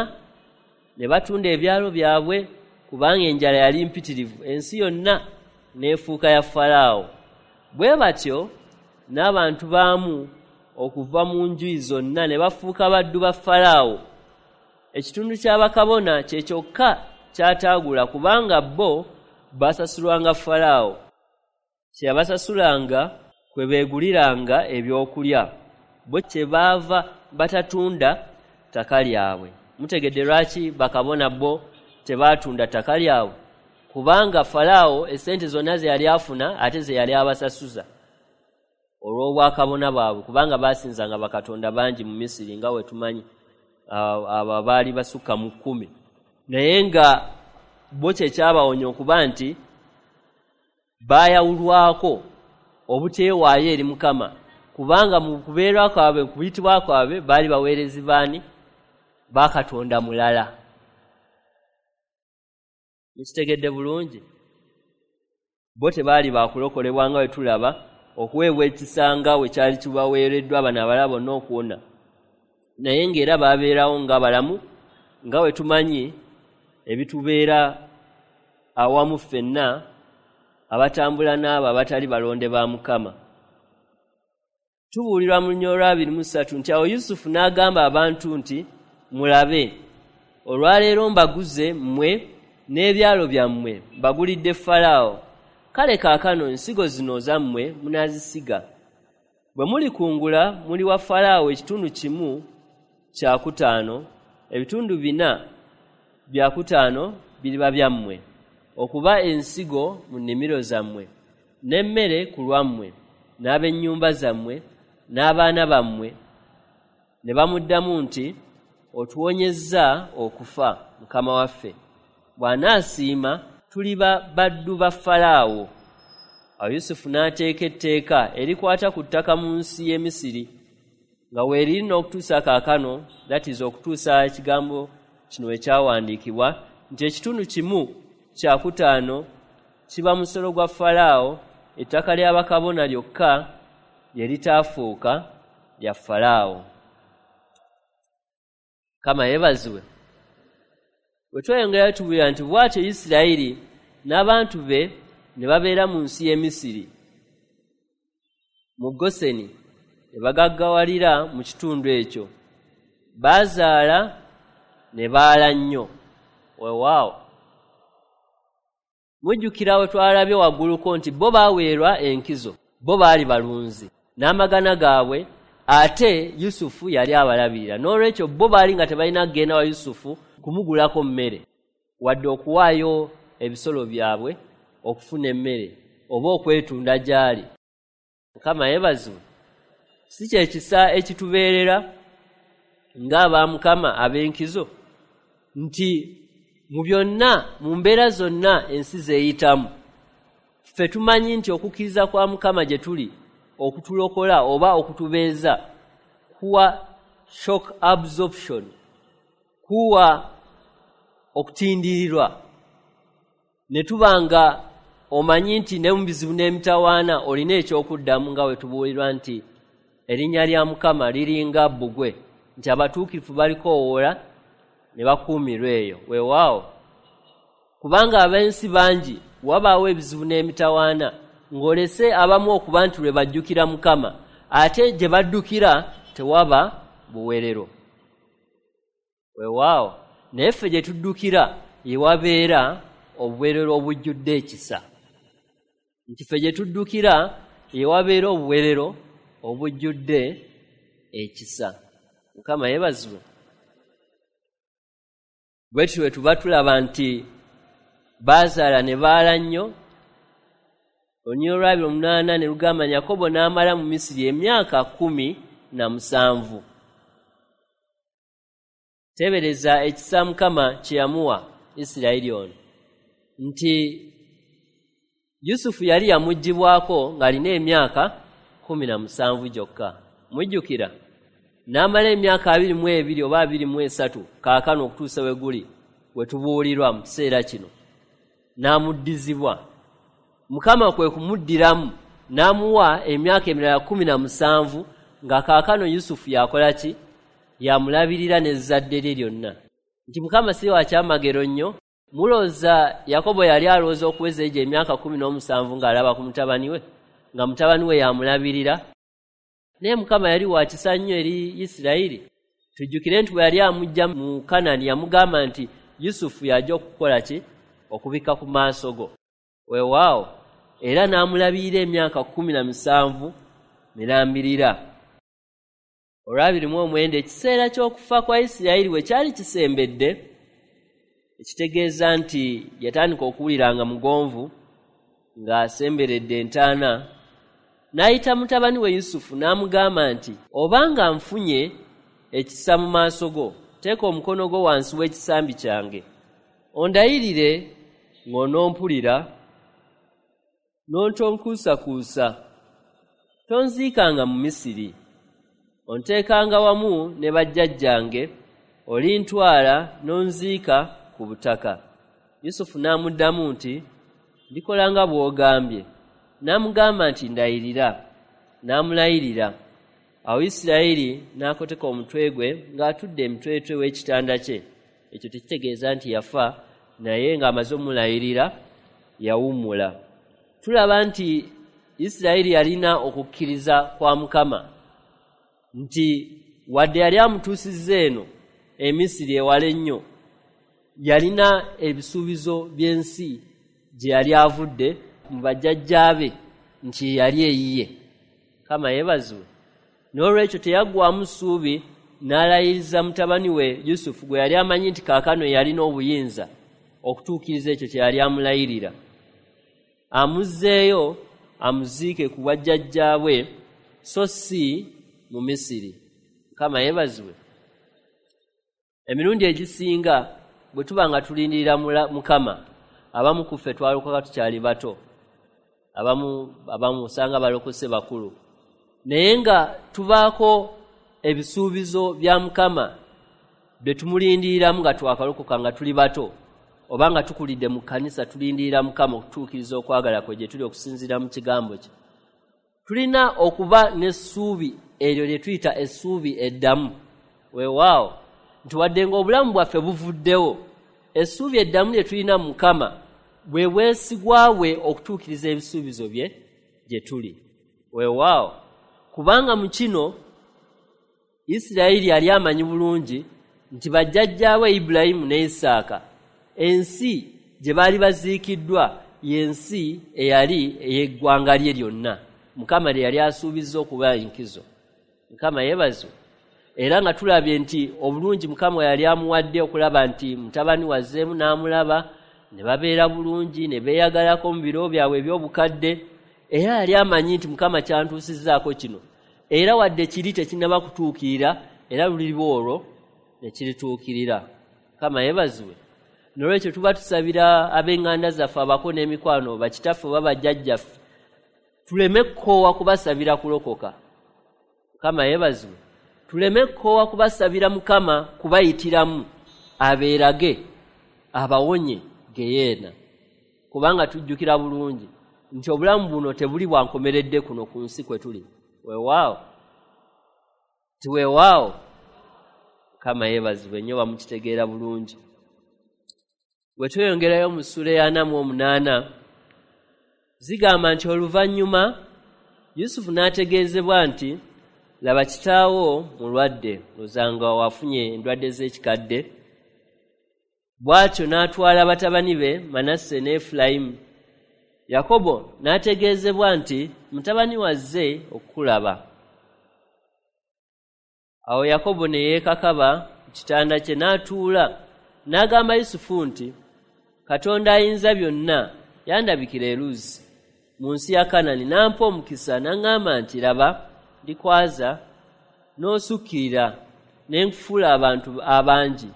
ne batunda ebyalo byabwe, kubanga enjala yali mpitirivu. Ensi yonna n'efuuka ya Falaawo, bwe batyo n'abantu baamu okuva mu njuyi zonna ne bafuuka baddu ba Falaawo. Ekitundu kya bakabona kye kyokka ky'ataagula, kubanga bo basasulwanga Falaawo. Kye yabasasulanga kwe beeguliranga ebyokulya. Bo kyebaava batatunda ttaka lyabwe." Mutegedde lwaki bakabona bo tebaatunda ttaka lyabwe? Kubanga Falaawo essente zonna ze yali afuna ate ze yali abasasuza olw'obwakabona bwabwe, kubanga baasinzanga bakatonda bangi mu Misiri, nga we tumanyi abo baali basukka mu 10. Naye nga bo kyekyabawonya okuba nti baayawulwako obuteewaayo eri Mukama. Kubanga mu kubeera kwabwe, kuyitibwa kwabwe, baali baweerezi baani? Ba Katonda mulala. Mukitegedde bulungi? Bo tebaali bakulokolebwa nga bwe tulaba, okuweebwa ekisa nga bwe kyali kibaweereddwa bano abalala bonna okuwona. Naye ng'era babeerawo nga balamu, nga bwe tumanyi ebitubeera awamu ffenna abatambula n'abo abatali balonde ba Mukama. Tubuulirwa mu lunyiriri olwa 23 nti awo Yusufu n'agamba abantu nti, mulabe, olwaleero mbaguze mmwe n'ebyalo byammwe, mbagulidde Falaawo. Kale kaakano ensigo zino zammwe munaazisiga. Bwe mulikungula muliwa Falaawo ekitundu 1/5, ebitundu 4/5 biriba byammwe, okuba ensigo mu nnimiro zammwe, n'emmere ku lwammwe, n'ab'ennyumba zammwe, n'abaana bammwe. Ne bamuddamu nti, otuwonyezza okufa, Mukama waffe. Bw'anaasiima tuliba baddu ba Falaawo. Awo Yusufu n'ateeka etteeka erikwata ku ttaka mu nsi y'e Misiri, nga weeriri n'okutuusa kaakano, that is okutuusa ekigambo kino ekyawandiikibwa, nti ekitundu 1/5 kiba musolo gwa Falaawo, ettaka lya bakabona lyokka lye litaafuuka lya Falaawo. Mukama yeebazibwe. Bwe tweyongerayo tubuulira nti bw'atyo Isirayiri n'abantu be ne babeera mu nsi y'e Misiri, mu Goseni, ne bagaggawalira mu kitundu ekyo. Baazaala ne baala nnyo. Weewaawo. Mujjukira we twalabye wagguluko nti bo baaweerwa enkizo, bo baali balunzi n'amagana gaabwe, ate Yusufu yali abalabirira. N'olwekyo bo baali nga tebalina kugenda wa Yusufu kumugulako mmere, wadde okuwaayo ebisolo byabwe okufuna emmere oba okwetunda gy'ali. Mukama yeebazibwe. Si kye kisa ekitubeerera ng'aba Mukama ab'enkizo, nti mu byonna, mu mbeera zonna ensi zeeyitamu, ffe tumanyi nti okukkiriza kwa Mukama gye tuli okutulokola oba okutubeeza kuwa shock absorption, kuwa okutindirirwa, ne tuba nga omanyi nti ne mu bizibu n'emitawaana olina ekyokuddamu, nga bwe tubuulirwa nti erinnya lya Mukama liringa bbugwe, nti abatuukirivu balikoowoola ne bakuumirwa eyo. Weewaawo, kubanga ab'ensi bangi wabaawo ebizibu n'emitawaana, ng'olese abamu okuba nti lwe bajjukira Mukama, ate gye baddukira tewaba buwerero. Weewaawo, naye ffe gye tuddukira ye wabeera obuwerero obujjudde ekisa. Nti ffe gye tuddukira ye wabeera obuwerero obujjudde ekisa. Mukama yeebazibwe. Bwe tutyo bwe tuba tulaba nti baazaala ne baala nnyo. Olunyiriri olwa 28 ne lugamba Yakobo n'amala mu Misiri emyaka 17. Teebereza ekisa Mukama kye yamuwa Isirayiri ono, nti Yusufu yali yamuggyibwako ng'alina emyaka 17 gyokka. Mujjukira n'amala emyaka 22 oba 23 kaakano okutuusa we guli we tubuulirwa mu kiseera kino, n'amuddizibwa. Mukama kwe kumuddiramu n'amuwa emyaka emirala 17, nga kaakano Yusufu yakola ki? Yamulabirira n'ezzadde lye lyonna. Nti Mukama si wa kyamagero nnyo. Mulowooza Yakobo yali alowooza okuweza egyo emyaka 17 ng'alaba ku mutabani we, nga mutabani we yamulabirira? Naye Mukama yali wa kisa nnyo eri Isirayiri. Tujjukire nti bwe yali amuggya mu Kanani yamugamba nti Yusufu y'ajja okukola ki? Okubikka ku maaso go. Weewaawo, era n'amulabirira emyaka 17 mirambirira. Olwa 29, ekiseera ky'okufa kwa Isirayiri bwe kyali kisembedde, ekitegeeza nti yatandika okuwulira nga mugonvu ng'asemberedde entaana, n'ayita mutabani we Yusufu n'amugamba nti, obanga nfunye ekisa mu maaso go, teeka omukono gwo wansi w'ekisambi kyange, ondayirire ng'onompulira, n'ontonkuusakuusa. Tonziikanga mu Misiri, onteekanga wamu ne bajjajjange, olintwala n'onziika ku butaka. Yusufu n'amuddamu nti, Ndikola nga bw'ogambye. N'amugamba nti, Ndayirira. N'amulayirira. Awo Isirayiri n'akoteka omutwe gwe ng'atudde emitwetwe w'ekitanda kye. Ekyo tekitegeeza nti yafa, naye ng'amaze omulayirira yawummula. Tulaba nti Isirayiri yalina okukkiriza kwa Mukama, nti wadde yali amutuusizza eno e Misiri ewala ennyo, yalina ebisuubizo by'ensi gye yali avudde mu bajjajjaabe nti yali eyiye. Mukama yeebazibwe. N'olwekyo teyaggwaamu ssuubi, n'alayiriza mutabani we Yusufu gwe yali amanyi nti kaakano yalina obuyinza okutuukiriza ekyo kye yali amulayirira, amuzzeeyo amuziike ku bwajjajjaabwe so si mu Misiri. Mukama yeebazibwe. Emirundi egisinga bwe tuba nga tulindirira Mukama, abamu ku ffe twalokoka tukyali bato, abamu osanga balokose bakulu, naye nga tubaako ebisuubizo bya Mukama bye tumulindiriramu nga twakalokoka nga tuli bato, oba nga tukulidde mu kkanisa tulindirira Mukama okutuukiriza okwagala kwe gye tuli okusinziira mu kigambo kye. Tulina okuba n'essuubi eryo lye tuyita essuubi eddamu. Weewaawo nti wadde ng'obulamu bwaffe buvuddewo, essuubi eddamu lye tulina mu Mukama bwe bwesigwa bwe okutuukiriza ebisuubizo bye gye tuli. Weewaawo, kubanga mu kino Isirayiri yali amanyi bulungi nti bajjajjaawe Ibulayimu ne Isaaka ensi gye baali baziikiddwa y'ensi eyali ey'eggwanga lye lyonna, Mukama lye yali asuubizza okuba enkizo. Mukama yeebazibwe. Era nga tulabye nti obulungi Mukama yali amuwadde okulaba nti mutabani wazzeemu n'amulaba, ne babeera bulungi, ne beeyagalako mu biro byabwe eby'obukadde. Era yali amanyi nti Mukama kyantuusizzaako kino, era wadde kiri tekinnaba kutuukirira, era luliba olwo ne kirituukirira. Mukama yeebazibwe. N'olwekyo tuba tusabira ab'eŋŋanda zaffe abako n'emikwano, bakitaffe oba bajjajjaffe, tuleme kukoowa kubasabira kulokoka. Mukama yeebazibwe. Tuleme kukoowa kubasabira Mukama kubayitiramu abeerage abawonye geyeena, kubanga tujjukira bulungi nti obulamu buno tebuli bwankomeredde kuno ku nsi kwe tuli. Weewaawo ti weewaawo. Mukama yeebazibwe nnyo, bamukitegeera bulungi. Bwe tweyongerayo mu ssuula ya 48 zigamba nti oluvannyuma Yusufu n'ategeezebwa nti, laba kitaawo mulwadde, ozanga wafunye endwadde z'ekikadde. Bw'atyo n'atwala batabani be Manase ne Efulayimu. Yakobo n'ategeezebwa nti mutabani wazze okukulaba. Awo Yakobo ne yeekakaba ku kitanda kye n'atuula, n'agamba Yusufu nti, Katonda ayinza byonna yandabikira e Luzi mu nsi ya Kanani, n'ampa omukisa n'aŋŋamba nti, laba ndikwaza n'osukkirira ne nkufuula abantu abangi,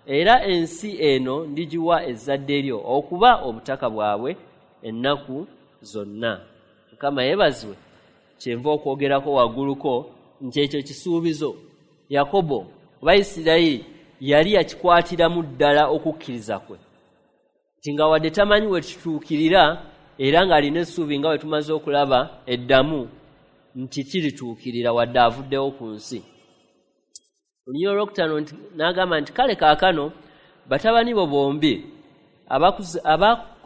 era ensi eno ndigiwa ezzadde lyo okuba obutaka bwabwe ennaku zonna. Mukama yeebazibwe. Kyenva okwogerako wagguluko nti ekyo kisuubizo Yakobo oba Isirayiri yali yakikwatiramu ddala okukkiriza kwe, nti nga wadde tamanyi we kituukirira, era ng'alina essuubi nga bwe tumaze okulaba eddamu nti kirituukirira wadde avuddewo ku nsi. Olunyiriri olwokutaano n'agamba nti, kale kaakano batabani bo bombi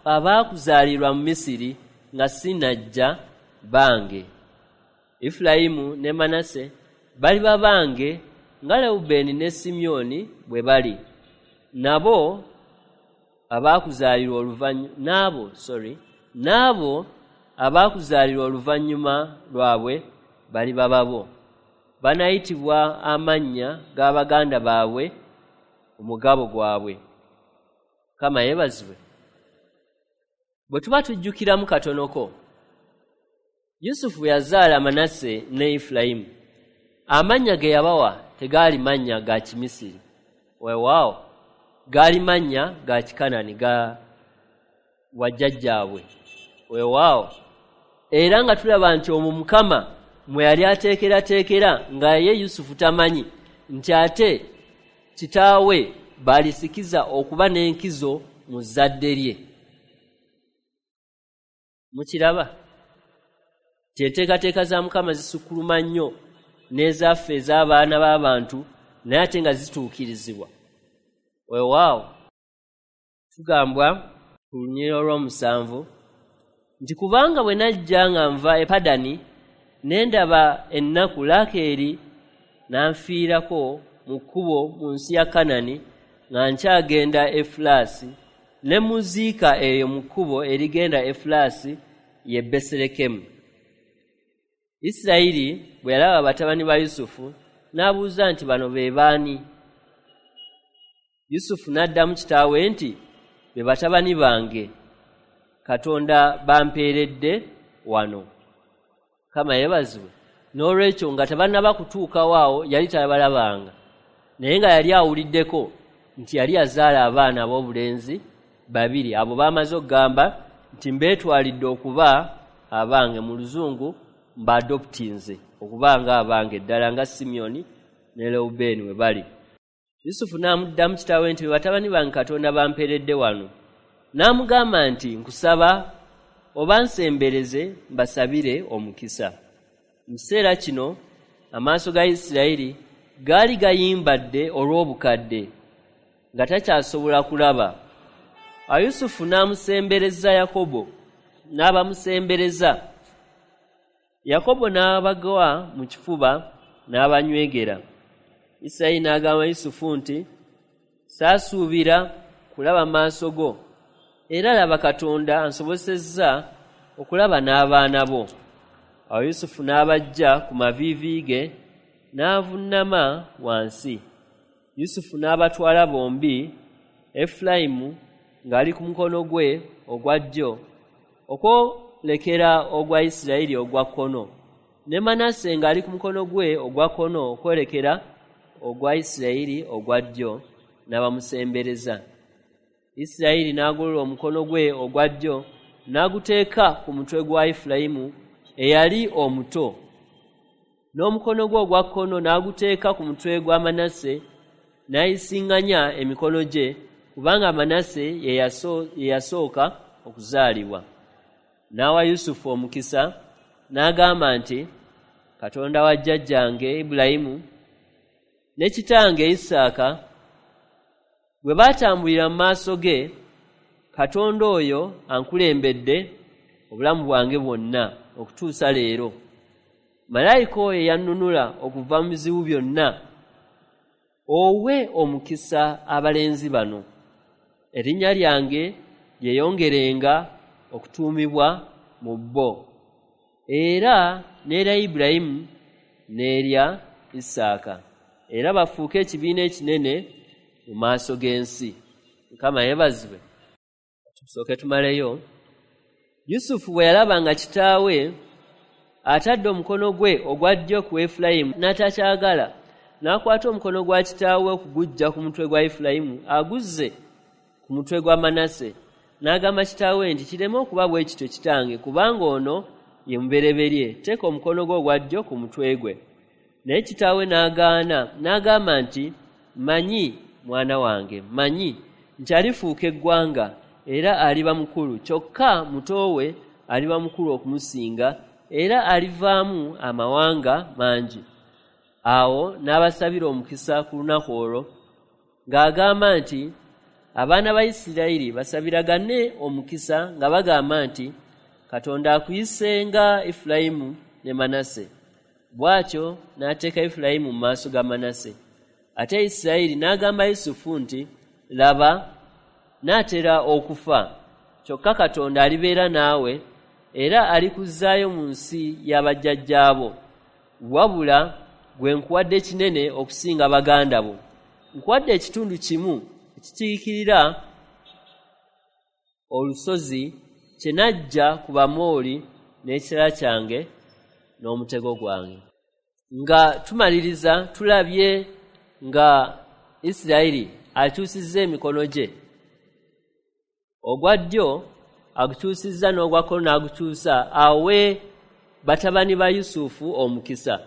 abaakuzaalirwa mu Misiri nga sinnajja bange, Efulayimu ne Manase baliba bange nga Lewubeeni ne Simyoni bwe bali, nabo abaakuzaalirwa n'abo abaakuzaalirwa oluvannyuma lwabwe baliba babo. Banayitibwa amannya g'abaganda baabwe omugabo gwabwe. Mukama yeebazibwe. Bwe tuba tujjukiramu katonoko, Yusufu yazaala Manase ne Efulayimu. Amannya ge yabawa tegaali mannya ga Kimisiri, weewaawo gaali mannya ga Kikanani ga wajjajjaabwe, weewaawo. Era nga tulaba nti omwo Mukama mwe yali ateekerateekera nga ye Yusufu tamanyi nti ate kitaawe balisikiza okuba n'enkizo mu zzadde lye. Mukiraba nti enteekateeka za Mukama zisukkuluma nnyo n'ezaffe ez'abaana b'abantu, naye ate nga zituukirizibwa. Weewaawo tugambwa ku lunyiriri olw'omusanvu nti kubanga bwe najja nga nva e Padani ne ndaba ennaku, Laakeeri n'anfiirako mu kkubo mu nsi ya Kanani nga nkyagenda Efulaasi, ne muziika eyo mu kkubo erigenda Efulaasi ye Besirekemu. Isirayiri bwe yalaba batabani ba Yusufu n'abuuza nti bano be baani? Yusufu n'addamu kitaawe nti be batabani bange Katonda bampeeredde wano. Mukama yeebazibwe. N'olwekyo nga tebannaba kutuukawo awo yali tabalabanga, naye nga yali awuliddeko nti yali yazaala abaana ab'obulenzi babiri, abo baamaze okugamba nti mbeetwalidde okuba abange, mu Luzungu mbaadoptinze okuba nga abange ddala nga Simyoni ne Lewubeeni we bali. Yusufu n'amuddamu kitaawe nti be batabani bange Katonda bampeeredde wano. N'amugamba nti nkusaba obansembereze mbasabire omukisa. Mu kiseera kino amaaso ga Isirayiri gaali gayimbadde olw'obukadde, nga takyasobola kulaba. Awo Yusufu n'amusembereza Yakobo, n'abamusembereza. Yakobo n'abagwa mu kifuba n'abanywegera. Isirayiri n'agamba Yusufu nti saasuubira kulaba maaso go, era laba Katonda ansobosezza okulaba n'abaana bo. Awo Yusufu n'abaggya ku maviivi ge n'avuunama wansi. Yusufu n'abatwala bombi, Efulayimu ng'ali ku mukono gwe ogwa ddyo okwolekera ogwa Isirayiri ogwa kkono, ne Manase ng'ali ku mukono gwe ogwa kkono okwolekera ogwa Isirayiri ogwa ddyo, n'abamusembereza. Isirayiri n'agolola omukono gwe ogwa ddyo n'aguteeka ku mutwe gwa Efulayimu eyali omuto, n'omukono gwe ogwa kkono n'aguteeka ku mutwe gwa Manase, n'ayisiŋŋanya emikono gye, kubanga Manase ye yasooka okuzaalibwa. N'awa Yusufu omukisa n'agamba nti Katonda wa jjajjange Ibulayimu ne kitange Isaaka bwe baatambulira mu maaso ge, Katonda oyo ankulembedde obulamu bwange bwonna okutuusa leero. Malayika oyo yannunula okuva mu bizibu byonna, owe omukisa abalenzi bano, erinnya lyange lyeyongerenga okutuumibwa mu bo, era n'erya Ibulayimu n'erya Isaaka, era bafuuke ekibiina ekinene mu maaso g'ensi. Mukama yeebazibwe. Tusooke tumaleyo. Yusufu bwe yalaba nga kitaawe atadde omukono gwe ogwa ddyo ku Efulayimu n'atakyagala, n'akwata omukono gwa kitaawe okuguggya ku mutwe gwa Efulayimu aguzze ku mutwe gwa Manase, n'agamba kitaawe nti kireme okuba bwe kityo kitange, kubanga ono ye mubereberye, teeka omukono gwe ogwa ddyo ku mutwe gwe. Naye kitaawe n'agaana, n'agamba nti mmanyi mwana wange, mmanyi nti alifuuka eggwanga era aliba mukulu, kyokka muto we aliba mukulu okumusinga, era alivaamu amawanga mangi. Awo n'abasabira omukisa ku lunaku olwo ng'agamba nti abaana ba Isirayiri basabiragane omukisa nga bagamba nti Katonda akuyise nga Efulayimu ne Manase. Bw'atyo n'ateeka Efulayimu mu maaso ga Manase. Ate Isirayiri n'agamba Yusufu nti laba naatera okufa, kyokka Katonda alibeera naawe era alikuzzaayo mu nsi y'abajjajjaabo. Wabula gwe nkuwadde kinene okusinga baganda bo, nkuwadde ekitundu kimu ekikiikirira olusozi kye najja ku Bamooli n'ekitala kyange n'omutego gwange. Nga tumaliriza tulabye nga Isirayiri akyusizza emikono gye, ogwa ddyo agukyusizza n'ogwa kkono n'agukyusa awe batabani ba Yusufu omukisa.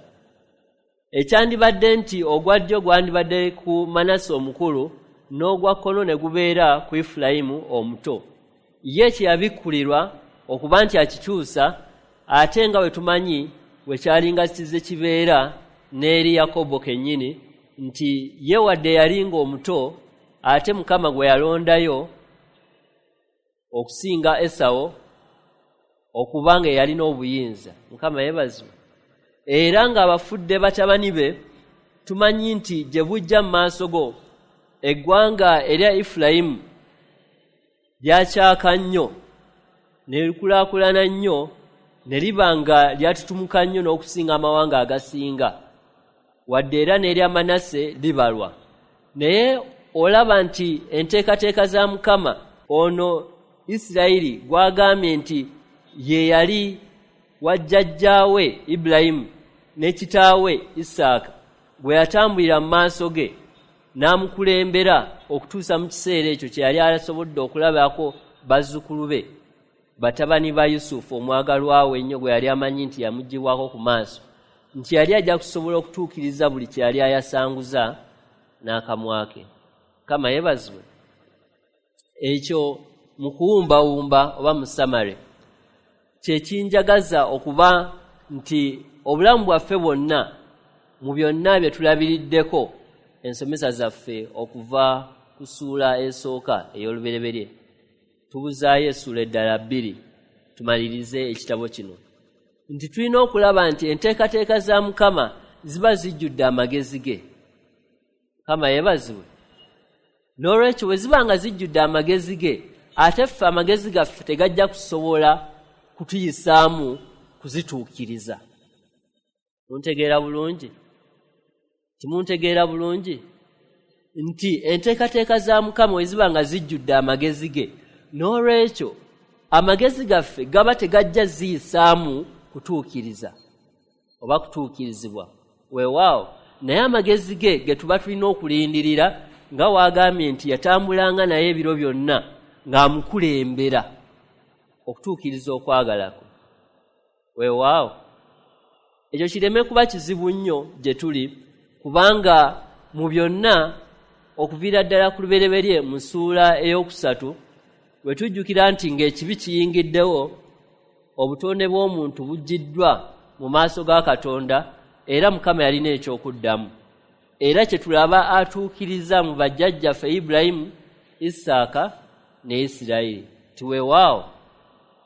Ekyandibadde nti ogwa ddyo gwandibadde ku Manase omukulu n'ogwa kkono ne gubeera ku Efulayimu omuto. Ye kye yabikkulirwa okuba nti akikyusa, ate nga bwe tumanyi bwe kyalinga kize kibeera n'eri Yakobo kennyini, nti ye wadde yali ng'omuto, ate Mukama gwe yalondayo okusinga Esawo okuba nga yalina obuyinza. Mukama yeebazibwe. Era ng'abafudde batabani be, tumanyi nti gye bujja mu maaso go eggwanga erya Efulayimu lyakyaka nnyo ne likulaakulana nnyo ne liba nga lyatutumuka nnyo n'okusinga amawanga agasinga, wadde era n'erya Manase libalwa. Naye olaba nti enteekateeka za Mukama ono Isirayiri gw'agambye nti ye yali wa jjajjaawe Ibulayimu ne kitaawe Isaaka, bwe yatambulira mu maaso ge n'amukulembera okutuusa mu kiseera ekyo kye yali asobodde okulabako bazzukulu be, batabani ba Yusufu omwagalwa we ennyo gwe yali amanyi nti yamuggyibwako ku maaso, nti yali ajja kusobola okutuukiriza buli kye yali ayasanguza n'akamwa ke. Mukama yeebazibwe. Ekyo mu kuwumbawumba oba mu samare kye kinjagaza okuba nti obulamu bwaffe bwonna mu byonna bye tulabiriddeko ensomesa zaffe okuva ku ssuula esooka ey'olubereberye, tubuzaayo essuula eddala 2 tumalirize ekitabo kino, nti tulina okulaba nti enteekateeka za Mukama ziba zijjudde amagezi ge. Mukama yeebazibwe. N'olwekyo bwe ziba nga zijjudde amagezi ge, ate ffe amagezi gaffe tegajja kusobola kutuyisaamu kuzituukiriza. Muntegeera bulungi? Timuntegeera bulungi? Nti enteekateeka za Mukama bwe ziba nga zijjudde amagezi ge, n'olwekyo amagezi gaffe gaba tegajja ziyisaamu kutuukiriza oba kutuukirizibwa. Weewaawo, naye amagezi ge ge tuba tulina okulindirira, nga waagambye nti yatambulanga naye ebiro byonna ng'amukulembera okutuukiriza okwagala kwe. Weewaawo, ekyo kireme kuba kizibu nnyo gye tuli, kubanga mu byonna okuviira ddala ku lubereberye mu ssuula 3 bwe tujjukira nti ng'ekibi kiyingiddewo, obutonde bw'omuntu buggiddwa mu maaso ga Katonda, era Mukama yalina ekyokuddamu. Era kye tulaba atuukiriza mu bajjajjaffe Ibulayimu, Isaaka ne Isirayiri. Tiweewaawo,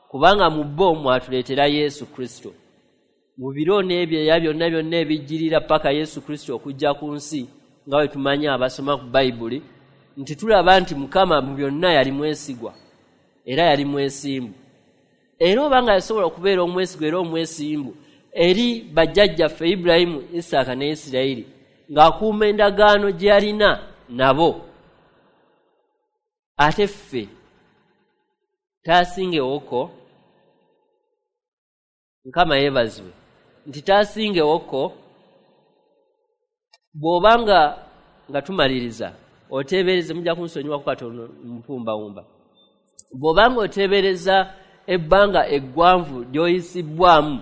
kubanga mu bo mwatuleetera Yesu Kristo. Mu biro n'ebyeya byonna byonna ebijjirira paka Yesu Kristo okujja ku nsi, nga bwe tumanyi abasoma ku Bayibuli, nti tulaba nti Mukama mu byonna yali mwesigwa era yali mwesimbu. Era obanga yasobola okubeera omwesigwa era omwesimbu eri bajjajjaffe Ibulayimu, Isaaka ne Isirayiri, ng'akuuma endagaano gye yalina nabo, ate ffe taasingewoko. Mukama yeebazibwe nti taasingewoko. Bw'obanga nga tumaliriza oteebereze, mujja kunsonyiwako katono mpumbawumba, bw'obanga oteebereza ebbanga eggwanvu ly'oyisibbwamu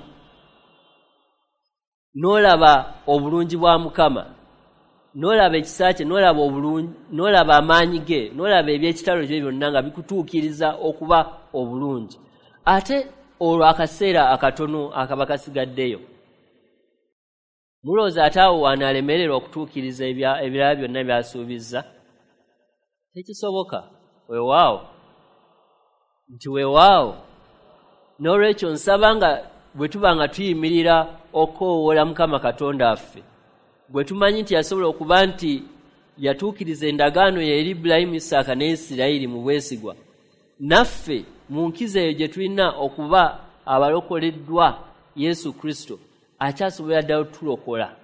n'olaba obulungi bwa Mukama, n'olaba ekisa kye, n'olaba obulungi, n'olaba amaanyi ge, n'olaba eby'ekitalo bye byonna nga bikutuukiriza okuba obulungi, ate olwo akaseera akatono akaba kasigaddeyo, mulowooza ate awo wanaalemererwa okutuukiriza ebirala byonna by'asuubizza? Tekisoboka. Weewaawo, nti weewaawo. N'olwekyo nsaba nga bwe tuba nga tuyimirira okukoowoola Mukama Katonda waffe, bwe tumanyi nti yasobola okuba nti yatuukiriza endagaano ye eri Ibulayimu, Isaaka ne Isirayiri mu bwesigwa, naffe mu nkizo eyo gye tulina okuba abalokoleddwa Yesu Kristo, akyasobola ddala otulokola.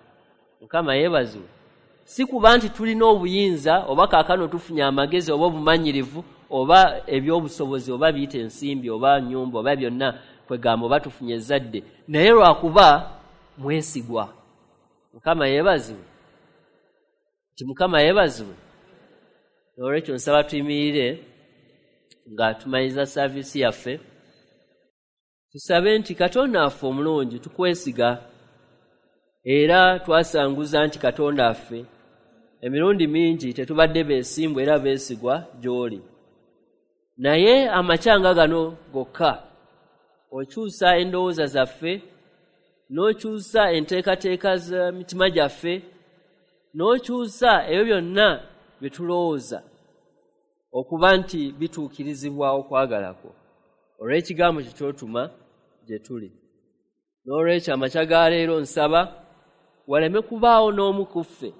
Mukama yeebazibwe. Si kuba nti tulina obuyinza oba kaakano tufunye amagezi oba obumanyirivu oba ebyobusobozi oba biyita ensimbi oba nnyumba oba byonna kwegamba oba tufunye ezzadde, naye lwakuba mwesigwa. Mukama yeebazibwe. Nti Mukama yeebazibwe. N'olwekyo nsaba tuyimirire nga tumaliriza saaviisi yaffe. Tusabe nti Katonda waffe omulungi tukwesiga, era twasanguza nti Katonda waffe emirundi mingi tetubadde beesimbu era beesigwa gy'oli. Naye amakyanga gano gokka okyusa endowooza zaffe, n'okyusa enteekateeka z'emitima gyaffe, n'okyusa ebyo byonna bye tulowooza okuba nti bituukirizibwa okwagala kwo olw'ekigambo kyo ky'otuma gye tuli. N'olwekyo amakya ga leero nsaba waleme kubaawo n'omu ku ffe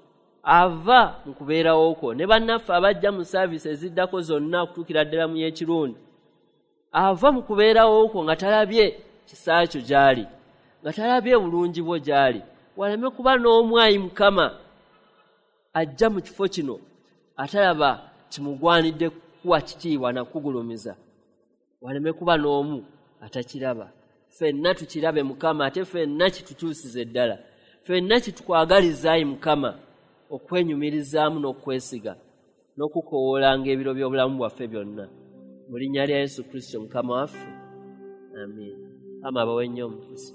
ava mu kubeerawo kwo, ne bannaffe abajja mu saaviisi eziddako zonna okutuukira ddala mu y'ekirundi, ava mu kubeerawo kwo nga talabye kisa kyo gy'ali, nga talabye bulungi bwo gy'ali. Waleme kuba n'omu ayi Mukama ajja mu kifo kino atalaba kimugwanidde kuwa kitiibwa na kugulumiza. Waleme kuba n'omu atakiraba. Ffenna tukirabe Mukama, ate ffenna kitukyusize ddala. Ffenna kitukwagaliza ayi Mukama okwenyumirizaamu n'okwesiga n'okukowoolanga ebiro by'obulamu bwaffe byonna. Mu linnya lya Yesu Kristo Mukama waffe, amiina. Mukama abawe nnyo omukisa.